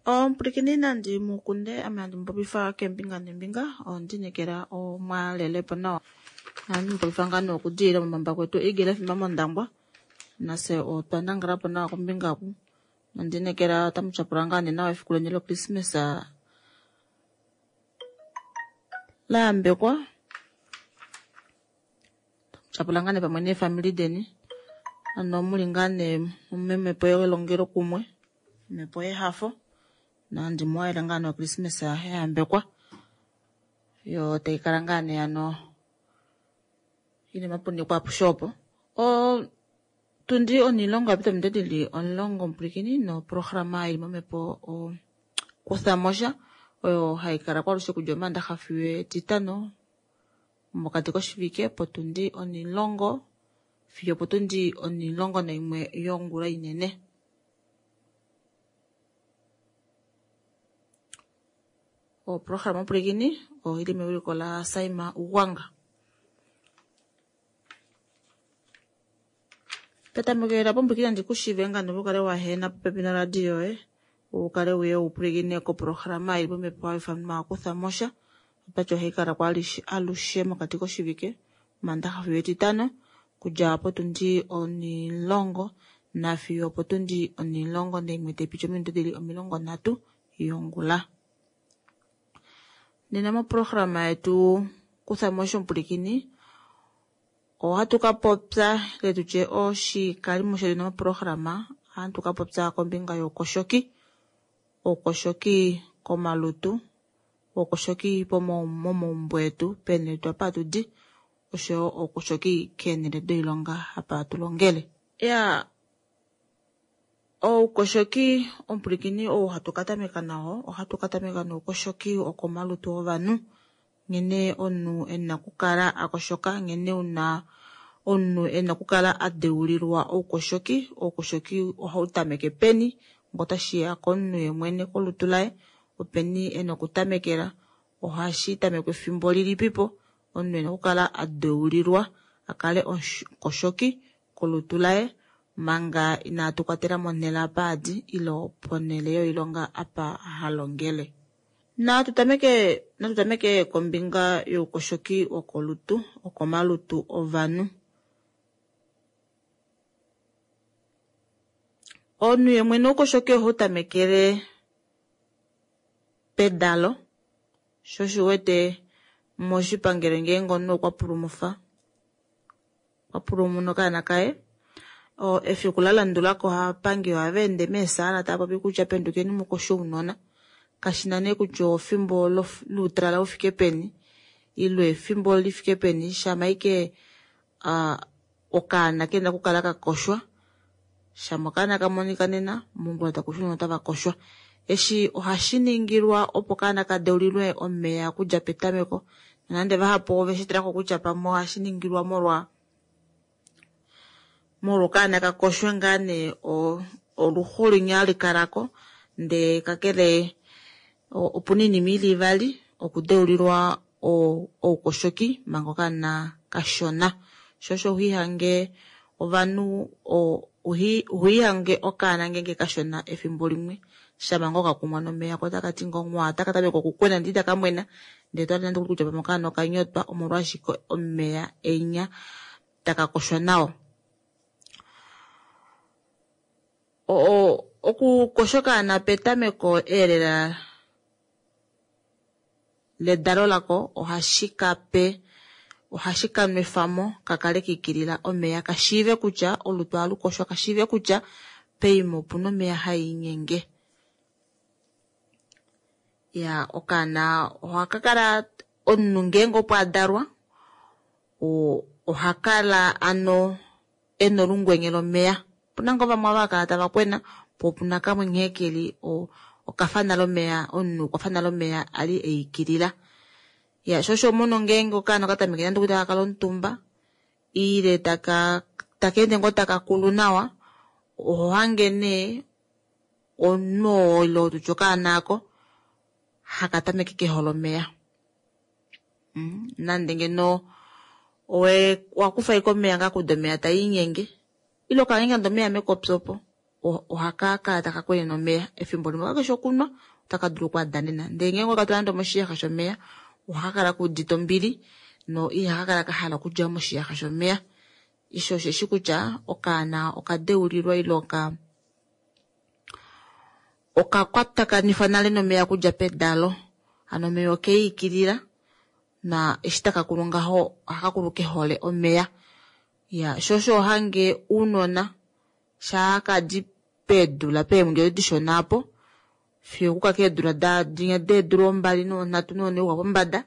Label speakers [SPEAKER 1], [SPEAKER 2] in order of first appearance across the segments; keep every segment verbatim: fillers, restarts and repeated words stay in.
[SPEAKER 1] Omupulikini nandi mukunde ame handi mupopifa keembinga neembinga ondinekela omwalelepo nawa. Ohandi mupopifa ngaa nee okudilila momambako etu Eagle F M mOndangwa, nafye otwa nangalapo nawa kombinga oku. Nondinekela otamu tyapula ngaa nee nawa efiku leni loChristmas la yambekwa. Tyapula ngaa nee pamwe neefamili deni, ano muli ngaa nee momhepo yelongelo kumwe, omhepo yehafo, nandi muhalele ngaa nee oChristmas ya yambekwa, yo tayi kala ngaa nee ano ili mapuniko apushe opo. Otundi onilongo yapita ominute dili omulongo omupulikini noprograma ili momhepo okuthamosha oyo hayi kala kwalushe kudja omaandaxa fiyo etitano mokati koshivike potundi onilongo fiyo potundi onilongo naimwe yongula inene. Oprograma omupulikini oili mewiliko la Saima Ugwanga. Petameko pombulikini nandi kushive nga nokukale wahena popepi noradio yoye, ukale uye upulikine koprograma ili momhepo haifanwa okuthamosha. Otwati ohai kala alushe mokati koshivike omaandaxa fiyo etitano kudja potundi onilongo nafiyo potundi onilongo naimwe taipiti ominute dili omilongo nhatu yongula. Nena moprograma yetu kuthamosha omupulikini ohatu kapopya ile tutye oshikalimo shetu moprograma ohatu kapopya kombinga youkoshoki, oukoshoki komalutu, oukoshoki momaumbo etu peenhele apa hatudi, oshoyo oukoshoki keenhele doilonga apa hatu longele. Ya oukoshoki omupulikini ou hatu katameka nao, ohatu katameka noukoshoki wokomalutu ovanhu, nghene omunhu ena okukala akoshoka, nghene una omunhu ena okukala adeulilwa oukoshoki. Oukoshoki ohau tameke peni ngotashiya komunhu yemwene kolutu laye, openi ena okutamekela, ohashi tamekwa efimbo lilipipo omunhu ena okukala adeulilwa akale omukoshoki kolutu laye manga inatu kwatela monhele apa adi ilo ponhele yoilonga apa halongele. Natu tameke natu tameke kombinga youkoshoki wokolutu, wokomalutu ovanhu. Omunhu yemwene oukoshoki ohau tamekele pedalo, sho oshiwete moshipangelo ngeenge omunhu okwa pulumufa, okwa pulumuna okaana kaye, efiku la landulako ovapangi ohava ende meesaala tava popi kutya pendukeni mukoshe ounona, kashina nee kutya efimbo loutalala ufike peni ile efimbo lifike peni, shama ashike okaana kena okukala kakoshwa, shama okaana kamonika nena mongula takushi otava koshwa. Eshi ohashi ningilwa opo okaana kadeulilwe omeya okudja petameko, nonande vahapu ove shitalako kutya pamwe ohashi ningilwa molwa molwa okaana kakoshwe ngaa nee oluxu linya likalako, ndee kakele opuna oinima ili ivali okudeulilwa oukoshoki manga okaana kashona. Sho osho uhihange ovanhu uhihange okaana ngeenge kashona efimbo limwe shama ngoo kakumwa nomeya ko otakati ngoo mwaa, otaka tameke okukwena ndee itaka mwena, ndee tohale nande kutya pamwe okaana okanyotwa omolwashike omeya enya taka koshwa nao. Okukosha okaana petameko eelela ledalo lako ohashi kape ohashi kanwefamo kakale kiikilila omeya kashiive kutya olutu ohalukoshwa, kashiive kutya peima opuna omeya haiinyenge. Ya okaana ohakakala omunhu ngeenge opo adalwa ohakala ano ena olungwenye lomeya. Opuna ngoo vamwe ava hakala tava kwena po opuna kamwe nghee keli okafa nale omeya, omunhu okwafa nale omeya ali eikilila. Ya sho osho homono ngeenge okaana okatameke nande okuli takakala omutumba ile taka takeende ngoo taka kulu nawa, oho hange nee omunhu oo ile tutye okaana aako haka tameke kehole omeya. Nande ngeno owakufa ashike omeya ngaa kuda omeya taiinyenge ile okange nande omeya mekopi opo ohaka kala taka kwenene omeya efimbo limwe kakeshi okunwa otaka dulu okwadanena ndee ngeenge owekatula nande omoshiyaxa shomeya ohakakala kuudite ombili no ihakakala kahala okudja moshiyaxa shomeya. Eshi osheshi kutya okaana okadeulilwa ile oka okakwatakanifwa nale nomeya okudja pedalo, hano omeya okeikilila na eshi takakulu ngaho ohakakulu kehole omeya. Iya sho osho hange ounona shaa kadi peedula peemwedi odo dishona aapo fiyo okuka keedula dinya deedula ombali nonhatu nonhe okuya pombada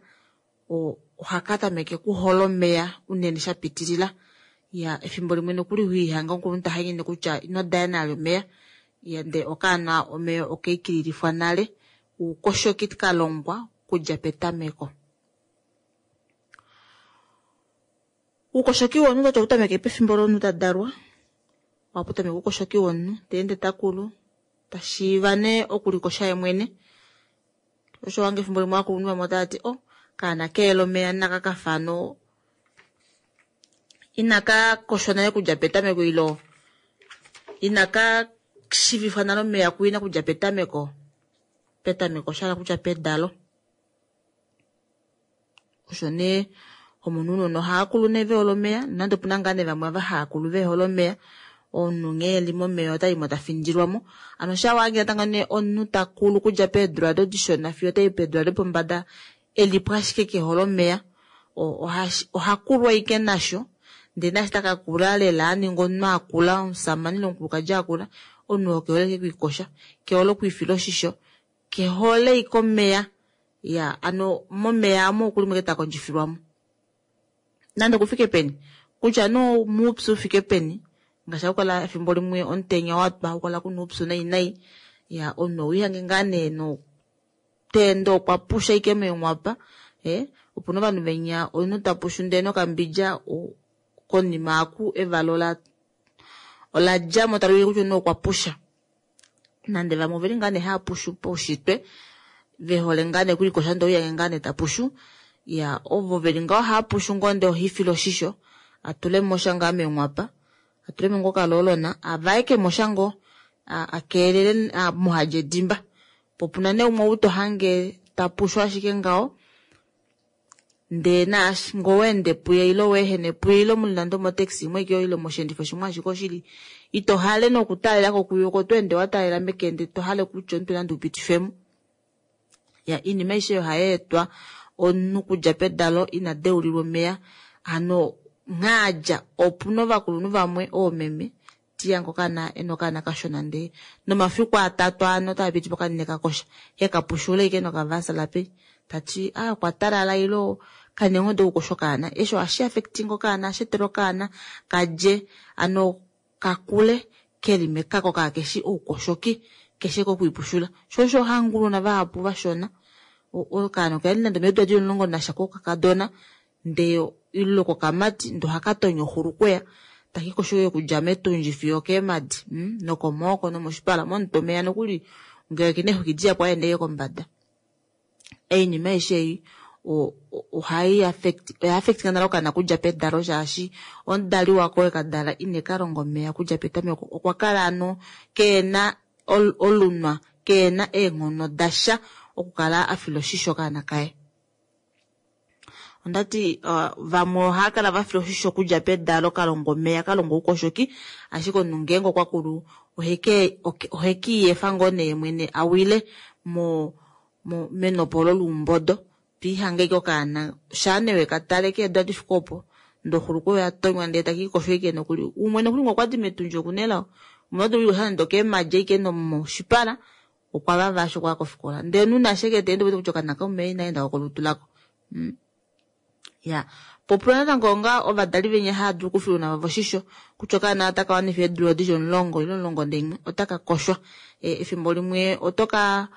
[SPEAKER 1] ohaka tameke okuhola omeya unene shapitilila. Iya efimbo limwe nokuli hoihange omukulunhu tahanyenye kutya ino dana vali omeya, ndee okaana omeya okeikililifwa nale oukoshoki kalongwa okudja petameko. Oukoshoki womunhu otau tameke pefimbo lomunhu tadalwa, ohapu tameke oukoshoki womunhu teende takulu tashiiva nee okulikosha yemwene. Osho wange efimbo limwe ovakulunhu vamwe otavati o kaana keele omeya naka kafa no inaka koshwa nale okudja petameko ilo inaka shiivifwa nale omeya kuina okudja petameko. Petameko oshahala kutya pedalo. Osho nee omunhu ounona ohaakulu nee vehole omeya nonande opuna ngaa nee vamwe ava haakulu vehole omeya, omunhu nghee eli momeya otaimo tafindilwamo. Hano shawa natango nee omunhu takulu okudja peedula odo dishona fiyo otayi peedula dopombada elipo ashike kehole omeya, ohakulu ashike nasho ndee naashi takakula lela aninga omunhu akula omushamane ile omukulukadi akula, omunhu oo kehole ashike okwiikosha, kehole okwiifila oshisho, kehole ashike omeya. Iya hano momeya aamo okulimo ashike takondjifilwamo nande okufike peni kutya nee omuupyu ufike peni ngaashi hakukala efimbo limwe omutenya watwa hakukala kuna oupyu nai nai, iya omunhu owiihange ngaa nee noteende okwa pusha ashike meenghwapa ee opuna ovanhu venya omunhu tapushu ndee nokambidja konima aaku evala ola oladjamo tali ulike kutya omunhu okwa pusha. Nande vamwe oveli ngaa nee haapushu paushitwe vehole ngaa nee okulikosha ndee owiihange ngaa nee tapushu. Iya ovo veli ngaho ohaapushu ngoo ndee ohaifile oshisho atulemo sha ngaa meenghwapa, atulemo ngoo okaloolona avaekemo sha ngoo akeelele muhadje edimba. Po opuna nee umwe ou tohange tapushu ashike ngaho ndee naashi ngee oweende puye ile weehene puye ile muli nande omotaxi imwe ashike ile mosheendifo shimwe ashike oshili ito hale nokutaalelako kuye oko tweende wataalela mekende tohale kutya omutwe nande upitifemo. Iya oinima aishe oyo ohayeetwa omunhu okudja pedalo ina deulilwa omeya hano nghaadja opuna ovakulunhu vamwe oomeme tiyange okaana ena okaana kashona ndee nomafiku atatu aano otaapitipo kanini kakosha hekapushula ashike nokavaslapi tati aa okwa talala ile kana eenghono dokukosha okaana. Eshi ohashi affecting okaana, ohashi etele okaana kadje hano kakule keli mekako kakeshi oukoshoki keshe kokwiipushula. Sho osho hanga ounona vahapu vashona okaana okeli nande omeedula dili omulongo nasha kokakadona ndee ile kokamati ndee ohakatonya oxulukweya takiikosho okudja metundji fiyo okeemadi nokomaoko nomoshipala momutwe omeya nokuli ngee okena eexwiki dihapu ohaende ashike kombada. Oinima aishe ei ohai affect oya affectinga nale okaana okudja pedalo shaashi omudali wako wekadala inekalonga omeya okudja petameko okwa kala hano keena olunwa keena eenghono dasha okukala afila oshisho okaana kaye. Ondati vamwe ohaakala vafila oshisho okudja pedalo kalongwa omeya kalongwa oukoshoki ashike omunhu ngeenge okwa kulu oheke ohekiiyefa ngoo nee mwene awile mo menopo olo loumbodo twiihange ashike okaana shaa nee wekatale keedula difike opo ndee oxulukweya oyatonywa ndee takiikosho ashike nokuli umwe nokuli ngee okwadi metundji okuna elao umwe ota dulu okwiikosha nande okeemadi ashike nomoshipala okwa vava eshi okwaya kofikola ndee omunhu ashike teende ouwete kutya okaana omeya inaendako kolutu lako. Iya po opuna natango onga ovadali venya haadulu okufila ounona vavo oshisho kutya okaana otaka wanifa eedula dili omulongo ile omulongo naimwe otaka koshwa. Efimbo limwe otoka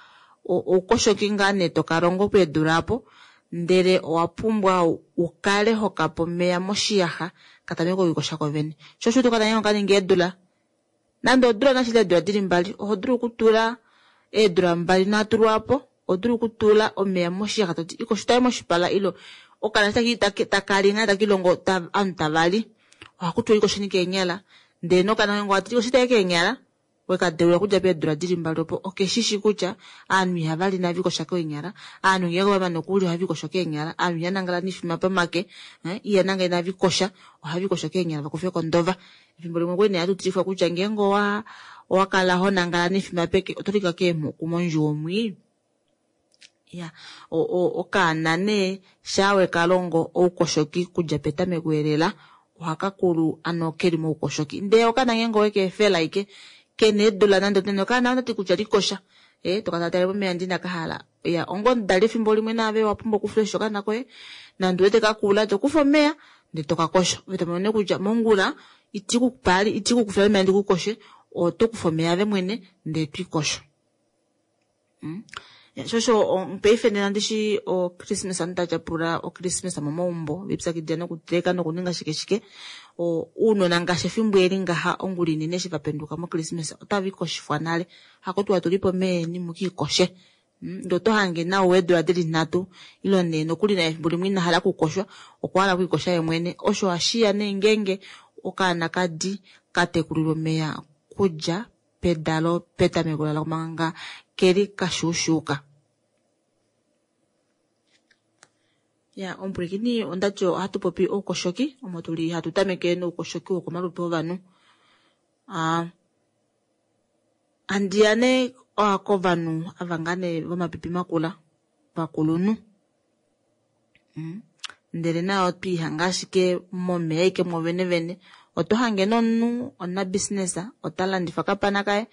[SPEAKER 1] oukoshoki ngaa nee tokalongo peedula aapo ndele owapumbwa ukale hokape omeya moshiyaxa katameke okwiikosha kovene. Sho osho uwete okaana okaningi eedula nande odula nashili eedula dili mbali oho dulu okutula eedula mbali nhatu lwaapo oho dulu okutula omeya moshiyaxa toti ikosha tale moshipala ile okaana eshi takali ngaa takiilongo ovanhu tavali ohakutiwa ikosheni keenyala ndee nokaana koye ngee owati likosha tale keenyala Wekadeula okudja peedula dili mbali opo okeshishi kutya ovanhu ihavali inave likosha keenyala, ovanhu ngeenge vamane okulya ohave likosho keenyala, ovanhu ihanangala noifima pomake, ihanangala inavikosha ohavikosho keenyala vakufeko ondova. Efimbo limwe okwali nee hatu tilifwa kutya ngeenge owa owakala honangala noifima peke otolika keemhuku mondjuwo mwii. Ya okaana nee shaa wekalongo oukoshoki kudja petameko elela ohakakulu ano keli moukoshoki. Ndee okaana ngeenge owekeefela ashike kena eedula nande okaana otati kutya likosha ee toka tale momeya ndee inakahala. Iya onga omudali efimbo limwe naave owapumbwa okufila oshisho okaana koye nande ouwete kakula tokufa omeya ndee tokakosho ove tomono nee kutya mongula itikukufila omeya ndikukoshe otokufa omeya ove mwene ndee twiikosho. Shoo osho paife nena ndishi o christmas ovanhu tava tyapula o christmas momaumbo velipyakidila nokuteleka nokuninga shike shike, ounona ngaashi efimbo eli ngaha ongula inene eshi vapenduka mo christmas otava ikoshifwa nale, hakutiwa tulipo omeva eni mukiikoshe. Ndee oto hange naau weedula dili nhatu ile nhee nokuli naye efimbo limwe inahala okukoshwa okwahala okwiikosha yeemwene. Osho ohashiya nee ngeenge okaana kadi katekulilwa omeya kudja pedalo petameko lalo manga keli kashuushuka. Ya omupwilikini ondati ohatu popi oukoshoki omo tuli hatu tameke noukoshoki wokomalutu ovanhu. Aa handiya nee kovanhu ava ngaa nee vomapipi makula vakulunhu, ndele nayo otwiihanga ashike momeya ashike mwoovene vene. Oto hange nee omunhu omunabusiness ota landifa okapana kaye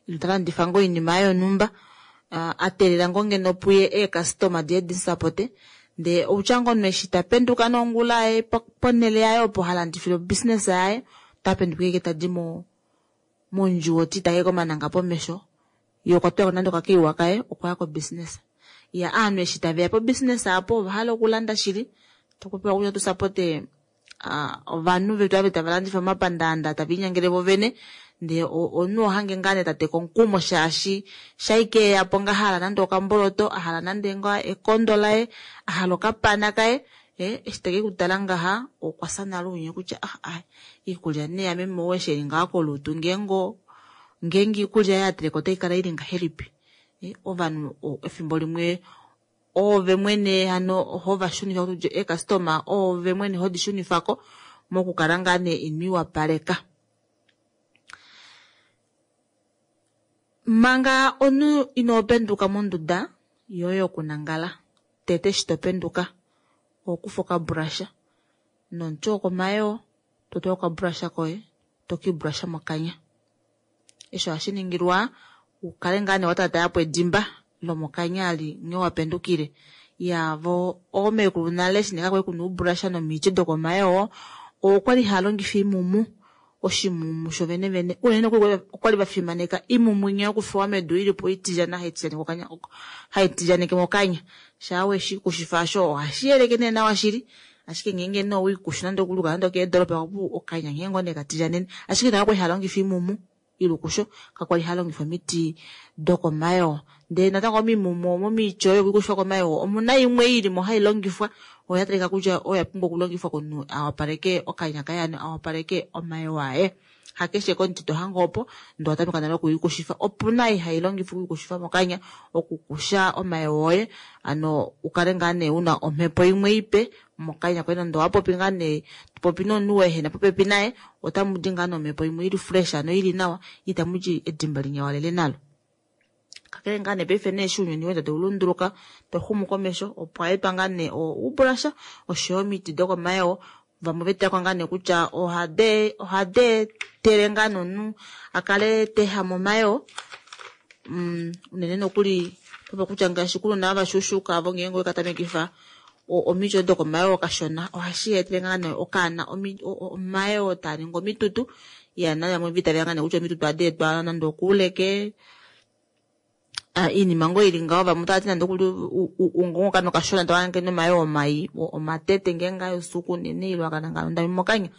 [SPEAKER 1] ile ta landifa ngoo oinima yaye yonhumba ateelela ngoo ngeno puye eecustoma diye dimusapote, ndee outya ngoo omunhu eshi tapenduka nee ongula yaye ponele yaye opo halandifile obusiness yaye otapenduka ashike tadi mo mondjuwo eti komananga pomesho yee okwa tulako nande okakaiwa kaye okwaya ko business. Iya ovanhu eshi taveya po business aapo ovahala okulanda shili, takupewa kutya tusapote ovanhu vetu ava tava landifa momapandaanda tave linyangele vovene, ndee omunhu ohange ngaa nee tateka omukumo shaashi shaike eyapo ngaha ahala nande okamboloto, ahala nande ngoo ekondo laye, ahala okapana kaye, eshi tekekutala ngaha okwafya nale ounye kutya ah iikulya nee yameme ou eshi eli ngaha kolutu ngeenge ngeenge iikulya ei ateleka otaikala ili ngahelipi. Ovanhu efimbo limwe oove mwene hano hovashunifa eecustoma oove mwene hodi shunifako mokukala ngaa nee inwiiwapaleka. Manga omunhu inopenduka monduda yoye yokunangala, tete eshi topenduka ohokufa okabrusha nomuti wokomayoo totula okabrusha koye tokiibrusha mokanya. Eshi ohashi ningilwa ukale ngaa nee watatayapo edimba lomokanya ali nghee wapendukile. Iya vo oomekulu nale eshi nee kakwali kuna oubrusha nomiti dokomayoo okwali haalongifa oimumu, oshimumu shovene vene unene nokuli okwali vafimaneka oimumu inya yokufewa medu ilipo itilyana haitilyaneke mokanya. Shaa weshikushifa aasho ohashi yeleke nee nawa shili, ashike ngeenge nee owiikushu nande okuli nande okeedoropa okanya nghee ngoo nee katilyanene, ashike nayo okwali haalongifa oimumu ilukusho kakwali haalongifa omiti dokomayoo. Ndee natango omimumu momiti oyo yokwiikushifa komayoo omuna imwe ilimo hailongifwa oyo yatalika kutya oyo yapumbwa okulongifwa komunhu awapaleke okanya kaye hano awapaleke omayoo aye. Hakeshe komuti tohange opo ndee owatameka nale okwiikushifa. Opuna ei hailongifwa okwiikushifa mokanya okukusha omayoo oye ano ukale ngaa nee una omhepo imwe ipe mokanya koye nande owapopi ngaa nee topopi nomunhu waehena popepi naye otamudi ngaa nomhepo imwe ili fresh ano ili nawa itamudi edimba linyawalele nalo. Kakele ngaa nee paife nee eshi ounyuni weenda taulunduluka tauxumu komesho opwa etwa ngaa nee oubrusha oshoyo omiti dokomayoo, vamwe vetalako ngaa nee kutya ohadi eetele ngaa nee omunhu akale teehama omayoo, unene nokuli kutya ngaashi kounona ava vashuushuka ovo ngeenge owekatamekifa omiti odo dokomayoo kashona ohashi etele ngaa nee okaana omayoo taaningi omitutu. Iya navamwe vaitavela ngaa nee kutya omitutu ohadi etwa nande okouleke, oinima ngoo ili ngaho vamwe otavati nande okuli okaana okashona tohange kena omayoo mai omatete ngeenge aya oufiku unene ile wakanangala ondami mokanya.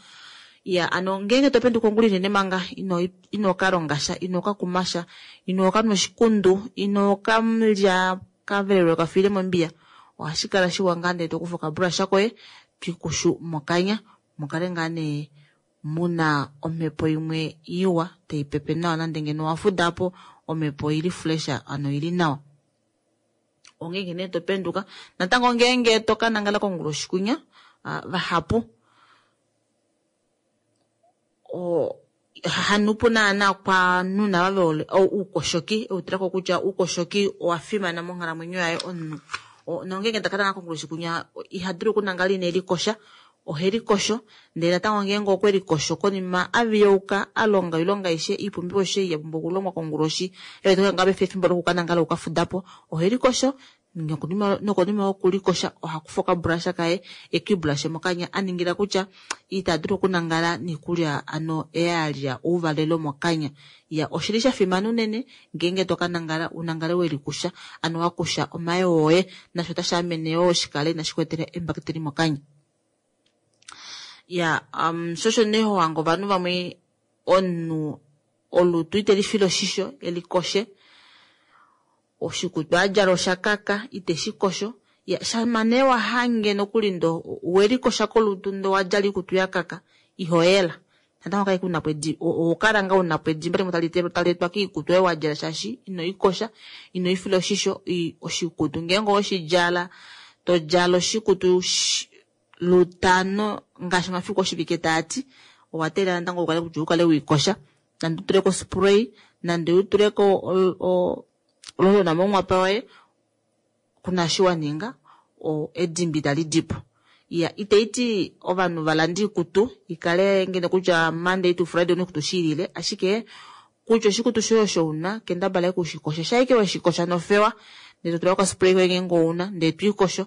[SPEAKER 1] Iya hano ngeenge topenduka ongula inene manga ino kalongasha ino kakumasha ino kanwa oshikundu ino kalya okavelelwa kafiile mombiya, ohashi kala shiwa ngaa nee tokufa okabrusha koye twiikushu mokanya mukale ngaa nee Muna omhepo imwe iwa taipepe nawa nande ngeno owafudapo omhepo oili fresh hano oili nawa. Ongeenge nee topenduka natango ngeenge tokanangala konguloshi kwinya vahapu oo hanuupu naana kwaanhu nava vehole oukoshoki eutulako kutya oukoshoki owafimana monghalamwenyo yaye omunhu. Nongeenge takalala konguloshi kwinya ihadulu okunangala inelikosha ohelikosho ndee natango ngeenge okwelikosho konima aviyauka alonga oilonga aishe oipumbiwa aishe yapumbwa okulongwa konguloshi efimbo lokukanangala okukafudapo ohelikosho nokonima yokulikosha ohakufa okabrusha kaye ekiibulashe mokanya aningila kutya itadulu okunangala noikulya ano eyalya ouvalelo mokanya. Iya oshili shafimana unene ngeenge tokanangala unangale welikusha ano wakusha omayoo oye nasho otashaamene yoo shikale inashikweetela eembakiteli mokanya. Iya shoo osho nee hohange ovanhu vamwe omunhu olutu itelifile oshisho elikoshe oshikutu adjala oshakaka iteshikosho shama nee wahange nokuli ndee welikosha kolutu ndee owadjala oikutu yakaka ihoyela natango kaike unapo ohokala ngoo unapo edimba limwe taleetwa koikutu oyo wadjala shaashi inoikosha inoifila oshisho oshikutu ngeenge oweshidjala todjala oshikutu lutano ngaashi omafiku oshivike taati owateelela natango ukale kutya ukale weikosha nande utuleko ospray nande utuleko ololona monghwapa yoye kuna eshi waninga edimba italidipo. Iya itaiti ovanhu valande oikutu ikale ngeno kutya Monday to Friday una oikutu shiilile ashike kutya oshikutu shoye osho una kendabala ashike ushikoshe shaike weshikosha nofewa ndee totula okaspray koye ngeenge ouna ndee twiikosho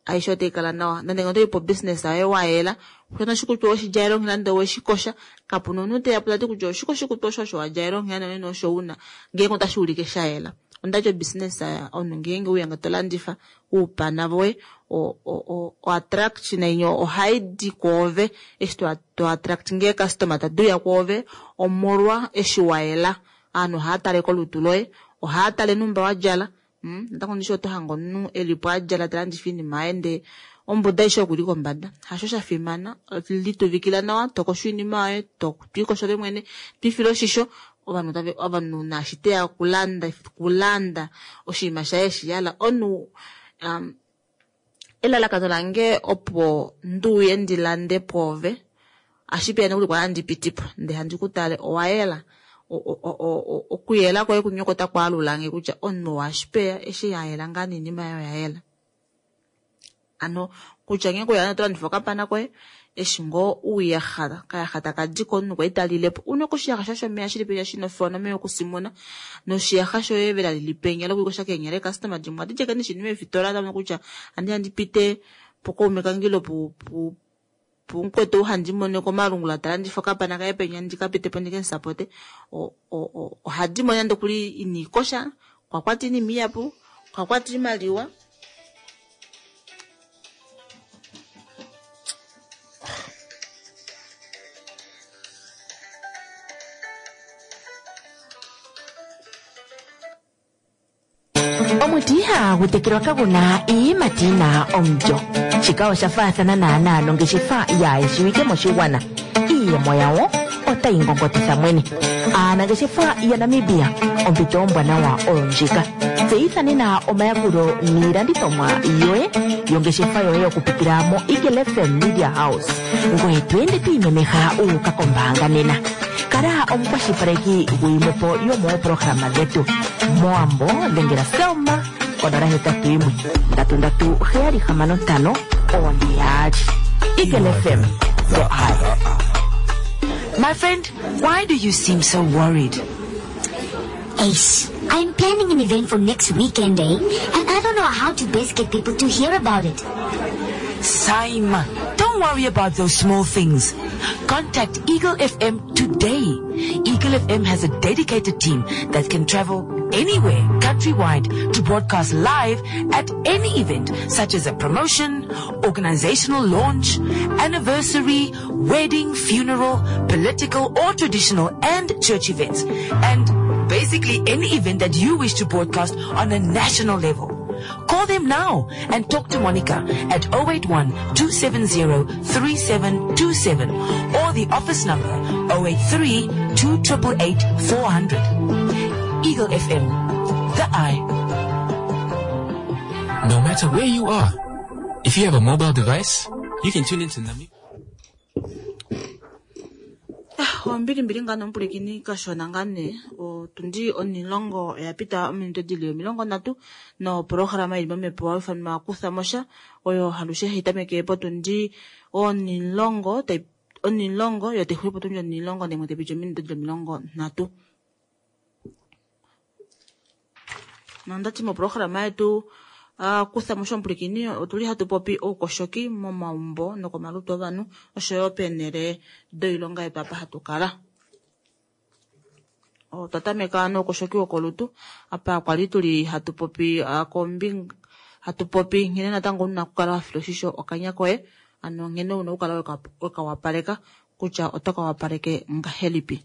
[SPEAKER 1] aishe otaikala nawa nande ngeno otoyi po business yoye wayela kutya oshikutu oweshidjalele onghela ndee oweshikosha kapuna omunhu teyapo tati kutya oshike oshikutu osho osho wadjalele onghela nonena osho una ngeenge otashuulike shayela. Ondati obusiness omunhu ngeenge uya tolandifa oupana voye o attraction inya ohaidi kwoove eshi to attract ngee customer taduuya kwoove omolwa eshi wayela. Ovanhu ohaatale kolutu loye ohaatale numba wadjala natango ndishi otohange omunhu elipo adjala talandifa oinima yaye ndee ombuda aishe okuli kombada hasho shafimana lituvikila nawa tokosho oinima yoye twiikosho ove mwene twiifile oshisho ovanhu ovanhu naashi teya okulanda kulanda oshinima shaye eshihala omunhu elalakano lange opo nduuye ndilande pwoove ashipeya nokuli kwali handi pitipo ndee handi kutale owayela okuyela kwoye kunya oko takwaalulange kutya omunhu oashipeya eshi ayela ngaa noinima yaye oyayela. Ano kutya ngeenge oya tolandifa okapana koye eshi ngoo uuyaxa kayaxa takadi komunhu kwali talilepo una oshiyaxa shoye shomeya shili penya shina ofewa nomeya okusimuna noshiyaxa shoye vela lili penya lokwiikosha keenyala eecustoma dimwe ohadi djeke neshi meefitola damono kutya handi ndipite pokaume kange ile pumukwetu ou handi mono komalungula talandifa okapana kaye penya ndikapitepo ndikemusapote ohadi mono nande okuli iniikosha okwakwata oinima ihapu okwakwata oimaliwa.
[SPEAKER 2] Omuti ihagu tekelwa kaguna iiyimati yina omulyo. Shika osha faathana naanaa nongeshefa yaayeshiwike moshigwana. Iiyemo yawo otayi ngongotitha mwene. Aanangeshefa yaNamibia ompito ombwanawa oyo ndjika. Tseyitha nena omayakulo niilandithomwa yoye yongeshefa yoye okupitila mo Eagle F M Media House. Ngoye to ende to imemeha uuka kombaanga nena. Kala omukwashilipaleki gwiimwepo yomooprograma dhetu. Moambo dhengela Selma konola hetatu yimwe ndatu ndatu heyali hamano ntano one yaali. Eagle F M, the eye.
[SPEAKER 3] My friend, why do you seem so worried?
[SPEAKER 4] Ace, I'm planning an event for next weekend, eh? And I don't know how to best get people to hear about it.
[SPEAKER 3] Saima, don't worry about those small things. Contact Eagle F M today. Eagle F M has a dedicated team that can travel anywhere, countrywide, to broadcast live at any event, such as a promotion, organizational launch, anniversary, wedding, funeral, political or traditional and church events, and basically any event that you wish to broadcast on a national level. Call them now and talk to Monica at oh eight one, two seven zero, three seven two seven or the office number oh eight three, two triple eight, four hundred. Eagle F M, the eye.
[SPEAKER 5] No matter where you are, if you have a mobile device, you can tune into Namibia.
[SPEAKER 1] Ombili mbili ngano mpulekini kashona ngane otundi onilongo oya pita ominute dili omilongo ndatu no programa ili momepo wa kutha mosha oyo halushe hitameke potundi onilongo tai onilongo yo tehuli potundi onilongo ndemwe tepicha ominute dili omilongo ndatu. Nondati mo programa yetu Uh, kutha mosha mpulekini otuli hatu popi oukoshoki momaumbo nokomalutu ovanhu oshoyo peenhele doilonga yetu apa hatu kala. Otwa tameka noukoshoki wokolutu apa kwali tuli hatu popi, uh, kombinga hatu popi nghene natango una okukala wa fila oshisho okanya koye, ano nghene una okukala weka-, wekawapaleka kutya oto ka wapaleke ngahelipi.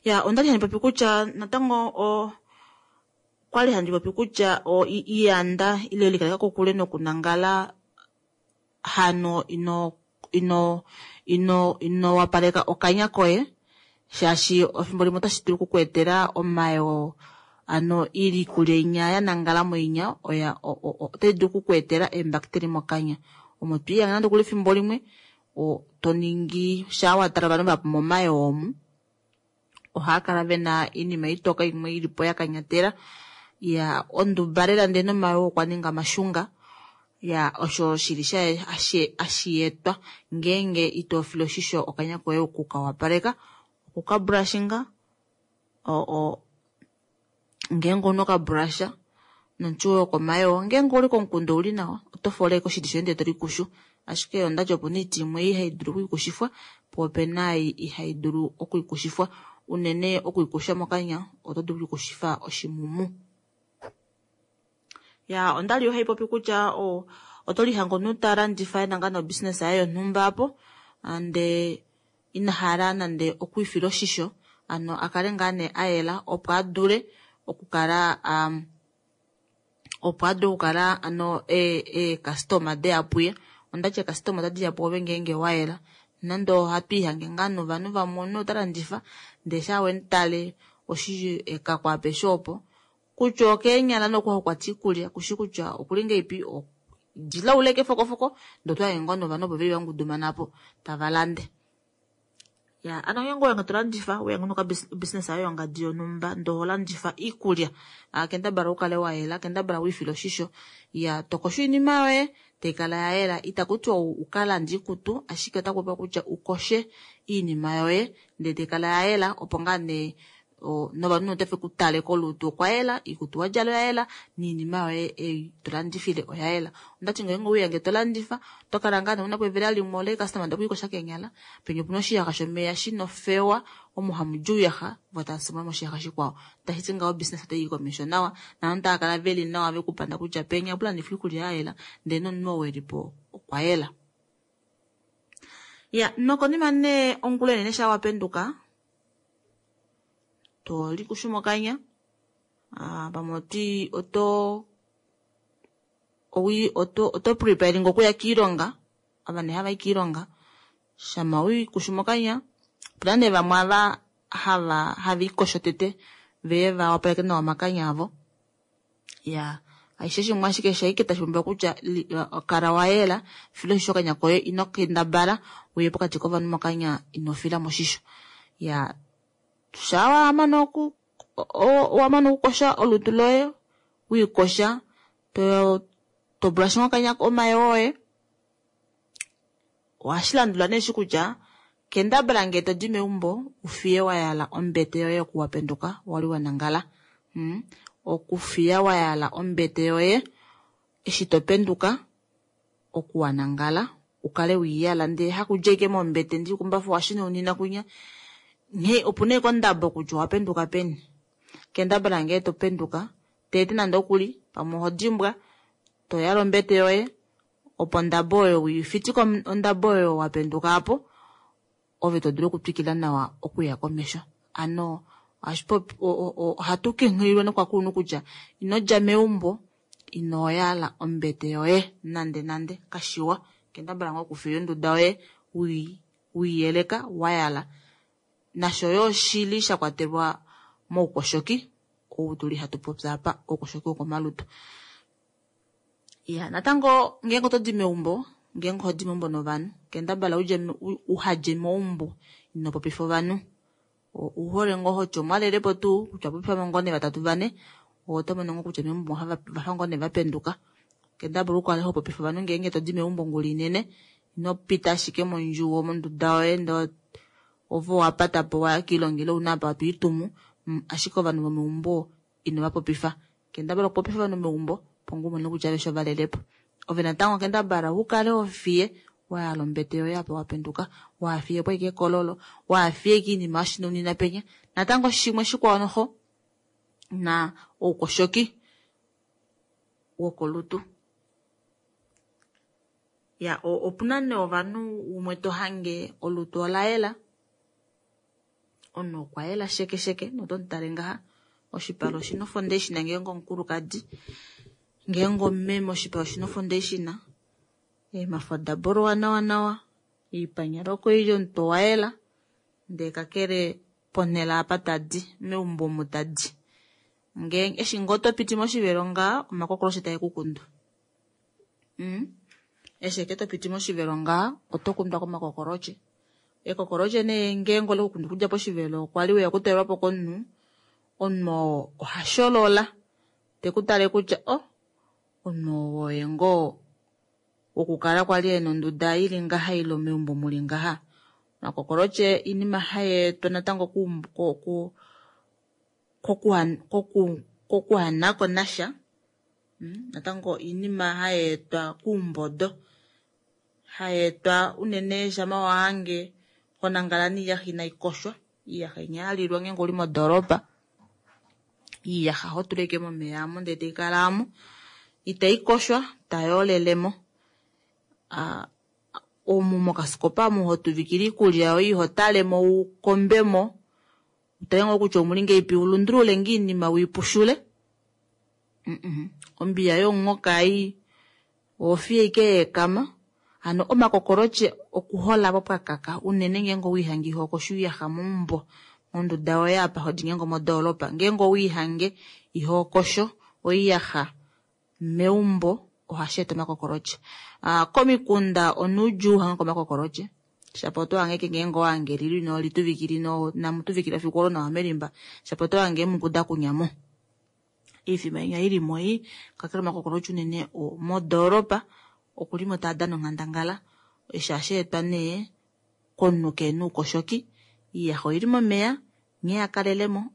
[SPEAKER 1] Ya, ondali handi popi kutya natango o kwali handi popi kutya o i-, iyanda ile likaleka kokule nokunangala hano ino, ino, ino, ino wapaleka okanya koye, shaashi efimbo limwe otashi dulu okukuetela omayoo, ano iikulya inya ya nangala moinya, oya, o, o, o, otai dulu okukuetela eembakiteli mokanya. Omo twiiyanga nande okuli efimbo limwe, o, to ningi shaa wa tala ovanhu vahapu momayoo omu, ohaa kala vena iinima itoka imwe ilipo ya kanyatela, ya onduba lela ndee nomayoo okwa ninga mashunga, ya osho shili sha ashi, ashietwa ngeenge ito file oshisho okanya koye okukawapaleka, okukabrushinga, o, o, ngeenge ouna okabrusha nomuti woye wokomayoo, ngeenge ouli komukunda ouli nawa, oto fola ashike oshiti shoye ndee to likushu. Ashike ondati opuna oiti imwe ihai dulu okuikushifwa, po opena ei ihai dulu okuikushifwa. Unene okuikusha mokanya oto dulu okuikushifa oshimumu. Ya, ondali yo hai popi kutya, o, oto lihange omunhu ta landifa ena ngaa nobusiness yaye yonhumba apo, ande ina hala nande okuifila oshisho, ano a kale ngaa nee a yela, opo a dule okukala, um, opo a dule okukala, ano, e, e customer deya puye. Ondati e customer otadi ya pwoove ngeenge wa yela. Nande ohatu ihange ngaa novanhu vamwe omunhu ota landifa, ndee sha wemutale oshi ekako apeshe opo, kutya okeenyala nokuha kwata iikulya, kushi kutya okuli ngeipi, o-, dila uleke fokofoko, ndee otwa hange ngoo novanhu opo veli vangudumana po, tava lande. Ya, ano ngeenge owe to landifa, owe ngono ka bus-, business yayo yongadi yonhumba, ndee oho landifa iikulya, a, kendabala ukale wa yela, kendabala wiifile oshisho, ya, tokosho oinima yoye, tai kala ya yela, itaku tiwa u-, uka lande iikutu, ashike otaku popiwa kutya ukoshe iinima yoye, ndee tai kala ya yela, opo ngaa nee, o, novanhu otafe ku tale kolutu okwa yela, iikutu wa djala oya yela, niinima yoye ei to landifile oya yela. Ondati ngeenge ouya nge to landifa, to kala ngaa nee una po evela limwe ole customer nde okuikosha keenyala, penya opuna oshiyaxa shomeya shina ofewa, omo hamu di ouyaxa, vo tava simula moshiyaxa shikwao. Tashi ti ngaho business otai i komesho nawa, naanhu tava kala veli nawa vekupanda kutya penya opu landifwa iikulya ya yela, ndee nomunhu oo elipo okwa yela. Ya, nokonima nee ongula inene sha wapenduka, to likushu mokanya, ah, pamwe oti, oto, owi, oto, oto preparing okuya kiilonga, ava nee hava i kiilonga, shama wiikushu mokanya, opuna nee vamwe ava hava, hava ikosho tete, veye va wapaleke nawa omakanya avo. Ya, aishe shimwe ashike shaike tashi pumbiwa kutya li-, kala wa yela, fila oshisho okanya koye, ino kendabala uye pokati kovanhu mokanya ino fila moshisho. Ya, sha wa mana oku-, o-, wa mana okukosha olutu loye, wiikosha, to, to brush mokanya omayoo oye. Ohashi landula nee shi kutya, kendabala ngee to di meumbo, ufiye wa yala ombete yoye okuwapenduka, wali wa nangala. Hmm? Okufiya wa yala ombete yoye, eshi to penduka, okuwa nangala, ukale wiiyala, ndee hakudja ike mombete, ndi kumbafa washina unina kunya. Nghee, opu nee kondabo kutya owa penduka peni. Kendabala ngee to penduka, tete nande okuli, pamwe oho dimbwa, to yala ombete yoye, opo ondabo oyo wiifitike om-, ondabo oyo wa penduka apo, ove to dulu okutwikila nawa okuya komesho. Ano, Ohatu kunghililwa nokovakulunhu kutya inodja meumbo ino yala ombete yoye nande nande kashiwa. Kendabala ngoo okufiya onduda yoye weiyeleka wayala. Nasho yoo shili shakwatelwa moukoshoki ou tuli hatu popi apa, oukoshoki wokomalutu. Iya natango ngeenge otodi meumbo, ngeenge ohodi meumbo novanhu, kendabala udje uhadje meumbo ino popifa ovanhu. Ouhole ngoo hoti omwalelepo tuu kutya popifamo ngoo nee vatatu vane, oto mono ngoo kutya meumbo ovafa ngoo nee vapenduka. Kendabala ukale hopopifa ovanhu ngeenge todi meumbo ongula inene, ino pita ashike mondjuwo monduda yoye ndee ove owapatapo waya koilonga ile ouna apa twiitumu, ashike ovanhu vomeumbo ino vapopifa. Kendabala okupopifa ovanhu meumbo opo ngoo umone kutya aveshe ovalelepo. Ove natango kendabala ukale hofiye wayala ombete yoye apa wapenduka, wahafiyepo ashike ekololo, wahafiye ashike oinima yoshinonina penya. Natango shimwe shikwao noxo na oukoshoki wokolutu. Ya opuna nee ovanhu umwe tohange olutu olayela, omunhu okwa yela sheke sheke notomutale ngaha oshipala oshina foundation ngeenge omukulukadi, ngeenge omumeme oshipala oshina foundation, eemhafu oda bolowa nawa nawa, oipanyala oko ili omutwe owayela, ndee kakele ponhele apa tadi meumbo omu tadi, ngeenge eshi ngoo topiti moshivelo ngaha omakokoloshe taekukundu. Mm eshi ashike topiti moshivelo ngaha oto kundwa komakokolotye. Ekokolotye nee ngeenge olekukundu okudja poshivelo kwali weya okutalelwapo komunhu, omunhu oo ohasholola tekutale kutya oh omunhu oo oye ngoo wokukala kwali ena onduda ili ngaha ile meumbo muli ngaha. Omakokolotye oinima hayeetwa natango kokuhanako nasha, natango oinima hayeetwa koumbodo, hayeetwa unene shama wahange honangala noiyaxa inaikoshwa, oiyaxa inya yalilwa ngeenge uli modoropa, oiyaxa ohotula ashike momeya aamo ndee taikala aamo itaikoshwa tayoolelemo. Aa omu mokasikopa omu hotuvikile oikulya yoye ihotalemo ukombemo utale ngoo kutya omuli ngahelipi ulundulule ngoo oinima wiipushule, ombiya yomuhoka ei ohofiye ashike yaekama. Hano omakokolotye okuhola aapo pwakaka unene ngeenge owiihange ihokosho oiyaxa meumbo monduda yoye apa hodi ngeenge omodoropa, ngeenge owiihange ihokosho oiyaxa meumbo ohasheeta omakokolotye. Aa komikunda onuudjuu uhangeko omakokolotye, shapo otohange ashike ngeenge owahange elilo inolituvikila ino inamutuvikila efiku olo nawa melimba, shapo otohange eemuku dakunyamo oifima inya ilimo ei. Kakele omakokolotye unene modoropa okulimo taadana onghandangala, eshi ohasheetwa nee komunhu kehena oukoshoki, oiyaxa oili momeya nghee yakalelemo,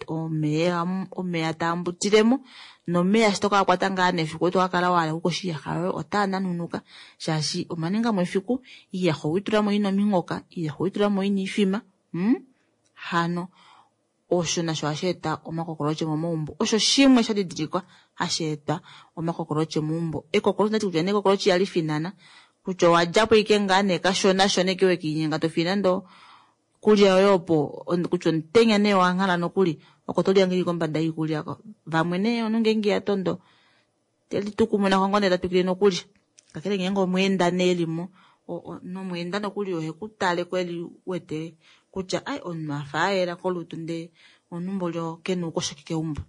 [SPEAKER 1] omeya omeya taambutilemo nomeya eshi tokakwata ngaa nefiku tokakala wahala okukosha oiyaxa yoye otaa nanunuka shaashi omaningamo efiku, oiyaxa oweitulamo ina ominghoka, oiyaxa oweitulamo ina oifima, mm hano osho nasho ohasheeta omakokolotye momaumbo. Osho shimwe shadidilikwa hasheetwa omakokolotye meumbo. Ekokolotye ondati kutya nee ekokolotye ihali finana, kutya owadjapo ashike ngaa nee kashona shona ashike wekiinyenga tofiye nande oikulya yoye opo, kutya omutenya nee owanghala nokuli oko tolihange ili kombada yoikulya oko. Vamwe nee omunhu ngeenge ihatondo telitukumuna ngoo nee tatwikile nokulya. Kakele ngeenge omweenda nee elimo, nomweenda nokuli ohekutaleko eli wete kutya ai omunhu afa ayela kolutu ndee omunhu mboli kena oukoshoki keumbo.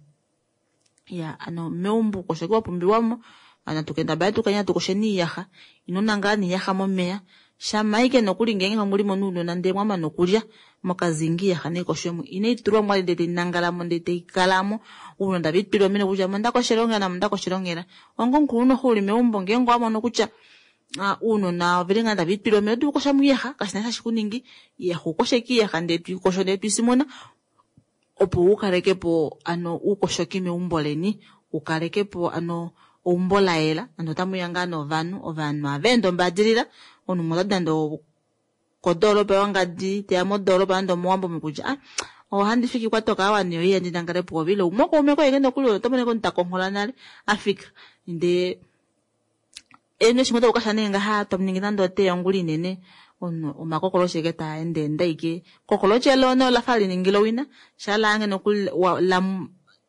[SPEAKER 1] Iya hano meumbo oukoshoki wapumbiwamo, natu kendabale tukale hatu kosheni oiyaxa, ino nangala noiyaxa momeya, shama ashike nokuli ngeenge mulimo nounona ndee mwamana okulya mokazinga oiyaxa naikoshwemo, inaitulwamo vali ndee tainangalamo ndee taikalamo, ounona tave litulilemo kutya ame ondakoshele onghela naame ondakoshele onghela. Onga omukulunhu noxo uli meumbo ngeenge owamono kutya ounona oveli ngoo tave litulile omeya, oto dulu okukoshamo oiyaxa kashina eshi tashi kuningi, oiyaxa ukoshe ashike oiyaxa ndee toikosho ndee toisimuna opo ukalekepo hano oukoshoki meumbo leni, ukalekepo hano eumbo layela nande otamuya ngaa novanhu, ovanhu ohaveende ombaadilila, omunhu umwe otadi nande okodoropa yongadi teya modoropa nande omowambo omu kutya ah ohandi fiki kwatoka aawa nee oiya ndinangale pwoove, ile umwe wokaume koye nokuli oto mono ashike omunhu takonghola nale afika ndee eno eshi ngoo takukasha nee ngaha tamuningi nande otea ongula inene, Omunhu omakokoloshe eke taa ende ende ashike kokoloshe lono olafa liningila owina shalaange nokuli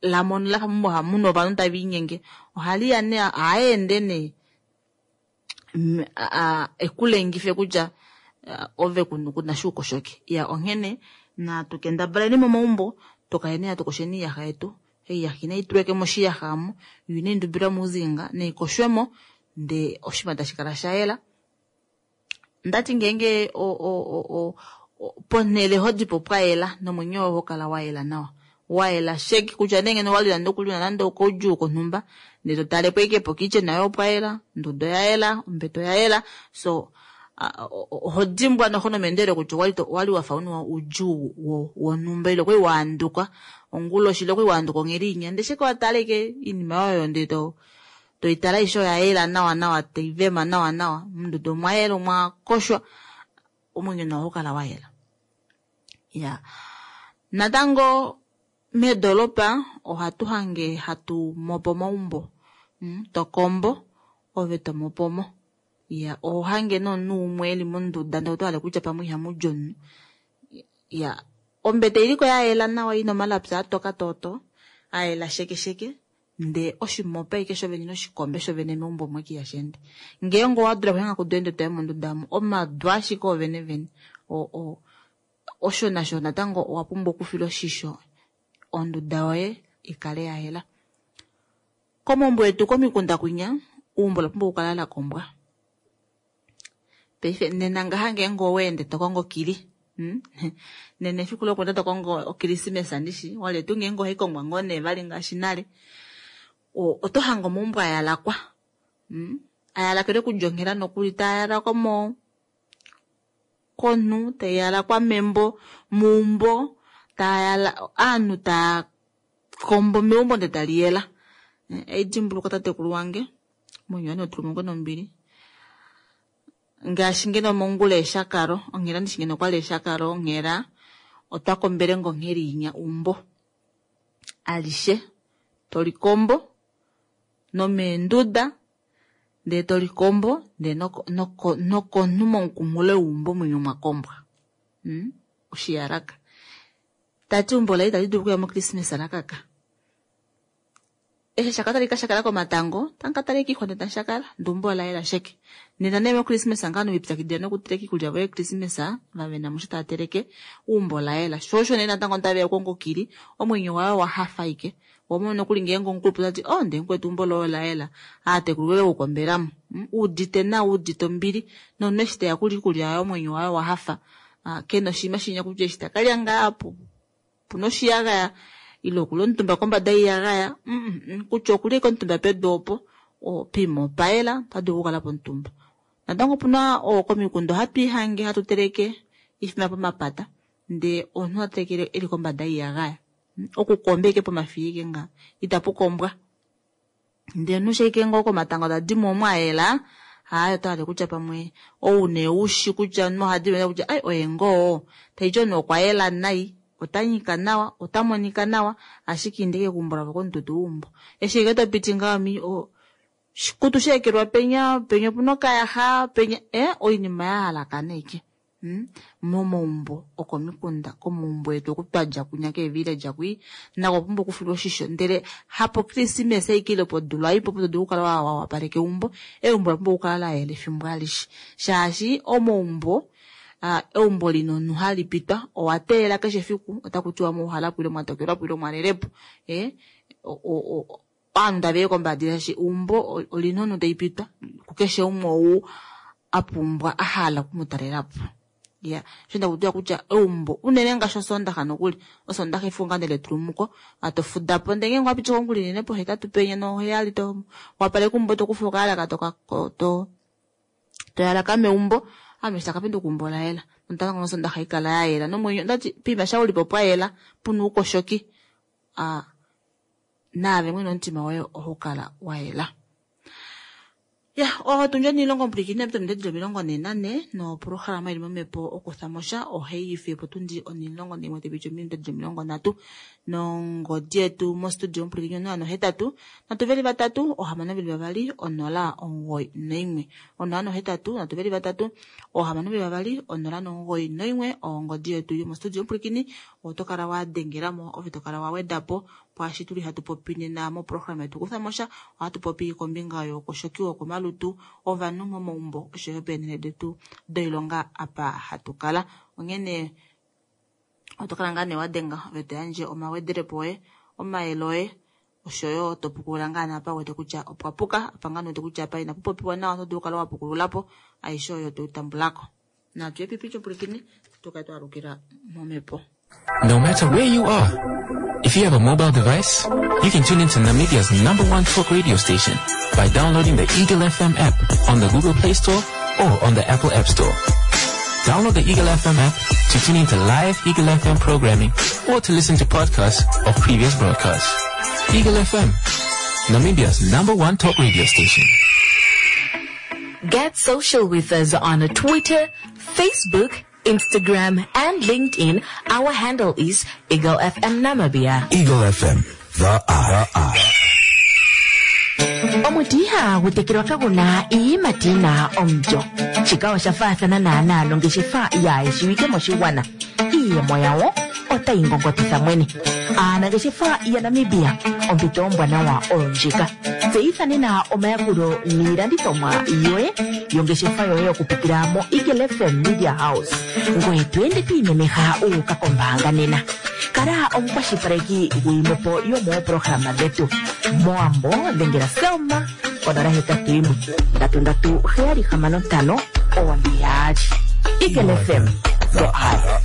[SPEAKER 1] lamono lafa hamuna ovanhu tava inyenge ohaliya nee ohaende nee ekulengife kutya ove kuna shuukoshoki. Iya onghene natu kendabaleni momaumbo tukaleni hatu kosheni oiyaxa yetu. Oiyaxa inai tulwa moshiyaxa omo yo inai ndubilwa mouzinga naikoshwemo ndee oshinima tashi kala shayela. Ndati ngeenge ponele hodipo pwayela nomwenyo woye ohokala wayela nawa. Wayela sheke kutya nee ngeno owali nande okuli una nande okoudjuu konhumba ndee totalepo ashike po kitchen yoye opwayela, onduda oyayela, ombete oyayela, so oho dimbwa noxo nomeendelelo kutya owali wafa una oudjuu wonhumba ile okwali waanduka onguloshi ile okwali waanduka onghela inya ndee shike watala ashike oinima oyo ndee to toitala aishe oyayela nawa nawa taivema nawa nawa monduda omwayela omwakoshwa omwenyo nao ohakala wayela. Iya natango meedoropa ohatu hange hatu mopo omaumbo tokombo ove tomopomo. Iya ohohange nomunhu umwe eli monduda ndee otohale kutya pamwe ihamudi omunhu. Iya ombete iliko yayela nawa ina omalapi atoka toto ayela sheke sheke ndee oshimopa ashike shovene noshikombe shovene meumbo omo ashike ihashi ende. Ngeenge owadula okuhanga kudu toya monduda omo omadu ashike ovene vene o osho nasho natango owapumbwa okufila oshisho onduda yoye ikale yayela. Komaumbo etu komikunda kwinya eumbo olapumbwa okukala lakombwa. Paife nena ngaha ngeenge oweende tokongo okili nena efiku lokweenda tokongo okrismesa ndishi wale tuu ngeenge ohaikongwa ngoo nee vali ngaashi nale oto hange omaumbo ayalakwa ayalakelwe okudja onghela nokuli taayalakwa mo konhu taiyalakwa membo meumbo taayala ovanhu taa kombo meumbo ndee taliyela. Eidimbuluka tatekulu wange omwenyo waye nautulumukwe nombili ngaashi ngeno mongula eshakalo onghela ndishi ngeno okwali eshakalo onghela otwakombele ngoo onghela inya eumbo alishe tolikombo nomeenduda ndee tolikombo ndee nokonhu momukunghulo weumbo mwinya omwakombwa. Oshiyalaka tati eumbo laye itali dulu okuya mo krismesa lakaka. Eshi eshakalo tali kashakala komatango tamukatala ashike oixwa ndee tamushakala ndee eumbo olayela sheke. Nena nee mokrismesa ngaho velipyakidila nokuteleka oikulya yavo yokrismesa vavena musho tava teleke eumbo olayela. Shoo osho nee natango taveya okukonga okili omwenyo waye owahafa ashike ohomono nokuli ngeenge omukulupe otati oh ndee mukwetu eumbo loye olayela aatekulu voye vekukombelamo uudite nawa uudite ombili nomunhu eshi teya okulya oikulya yaye omwenyo waye owahafa kena oshinima shinya kutya eshi takalya ngaa opuna oshiyagaya ile okuli omutumba kombada yoiyagaya kutya okuli ashike omutumba pedu opo poima opayela otadulu okukalapo omutumba. Natango opuna komikunda ohatu ihange hatu teleke oifima pomapata ndee omunhu otateleke eli kombada yoiyagaya okukomba ashike pomafiya ashike ngaha itapukombwa ndee omunhu shaike ngoo komatango tadimo omo ayela aaye otohale kutya pamwe ou nee ushi kutya omunhu ohadi kutya ai oye ngoo taiti omunhu okwayela nai otanyika nawa otamonika nawa ashike inda ashike keumbo lavo komututu weumbo eshi ashike topiti ngaho oshikutu shaekelwa penya penya opuna okayaxa penya ee oinima yahalakana ashike momaumbo okomikunda komaumbo etu oku twadja kwinya keevillage kwii nako okupumbwa okufilwa oshisho ndele hapo krismesa ashike ile podula opo todulu okukala wawapaleka eumbo. Eumbo olapumbwa okukala layela efimbo alishe shaashi omaumbo eumbo lina omunhu halipitwa owateelela keshe efiku otakutiwa mwauhalapo ile mwatokelwapo ile mwalelepo ee ovanhu taveya kombadilila shaashi eumbo olina omunhu taipitwa kukeshe umwe ou apumbwa ahala okumutalelapo. Iya osho ndakutiwa kutya eumbo unene ngaashi osondaxa nokuli osondaxa efiku ngaa letulumuko atofudapo ndee ngeenge owapiti ongula inene pohetatu penya noheyali towapaleke eumbo tokufa okayalaka to toyalaka meumbo ame eshi takapenduka eumbo olayela natango nosondaxa haikala yayela nomwenyo ondati poima sha ulipo pwayela puna oukoshoki aa naave mwene omutima woye ohaukala wayela. Ya otundi onimulongo omupwilikini ominute dili omilongo nhee nanhe noprograma ili momhepo okuthamosha ohaiifiye potundi onimulongo naimwe taipiti ominute dili omilongo nhatu Nongodi yetu mostudio omupulikini onola nohetatu nhatu veli vatatu ohamano veli vavali onola omugoyi noimwe onola nohetatu nhatu veli vatatu ohamano veli vavali onola nomugoyi noimwe ongodi yetu yomostudio omupulikini oto kala wa dengelamo ove to kala wa wedapo pwaashi tuli hatu popi nena moprograma yetu kuthamosha ohatu popi kombinga youkoshoki wokomalutu ovanhu momaumbo oshoyo peenhele detu doilonga apa hatu kala onghene oto kala ngaa nee wadenga ove to yandje omawedelepo oye omayele oye oshoyo to pukulula ngaa naapa wete kutya opwa puka apa ngaa wete kutya apa inapu popiwa nawa oto dulu okukala wa pukululapo aishe oyo toi tambulako natu yepipi lyopulikini tukale twalukila momhepo.
[SPEAKER 5] No matter where you are, if you have a mobile device, you can tune into Namibia's number one talk radio station by downloading the Eagle F M app on the Google Play Store or on the Apple App Store. Download the Eagle F M app to tune into live Eagle F M programming or to listen to podcasts of previous broadcasts. Eagle F M, Namibia's number one talk radio station.
[SPEAKER 2] Get social with us on Twitter, Facebook, Instagram, and LinkedIn. Our handle is Eagle F M Namibia.
[SPEAKER 6] Eagle F M, the eye.
[SPEAKER 2] Omuti ihagu tekelwa kaguna iiyimati yina omulyo. Shika osha faathana naanaa nongeshefa yaayeshiwike moshigwana. Iiyemo yawo otayi ngongotitha mwene. Aanangeshefa yaNamibia, ompito ombwanawa oyo ndjika. Tseyitha nena omayakulo niilandithomwa yoye yongeshefa yoye okupitila mo Eagle F M Media House. Ngoye to ende to imemeha uuka kombaanga nena. Kala omukwashilipaleki gwiimwepo yomooprograma dhetu. Moambo dhengela Selma konola hetatu yimwe ndatu ndatu heyali hamano ntano one yaali. Eagle F M, the eye.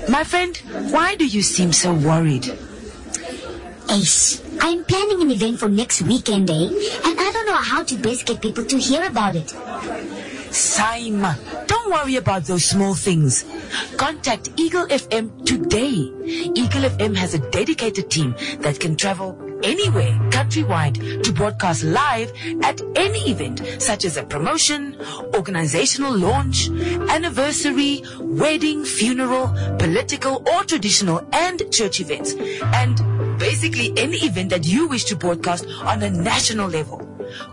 [SPEAKER 3] My friend, why do you seem so worried?
[SPEAKER 4] Ace, I'm planning an event for next weekend, eh? And I don't know how to best get people to hear about it.
[SPEAKER 3] Saima, don't worry about those small things. Contact Eagle F M today. Eagle F M has a dedicated team that can travel anywhere countrywide to broadcast live at any event, such as a promotion, organizational launch, anniversary, wedding, funeral, political or traditional and church events, and basically any event that you wish to broadcast on a national level.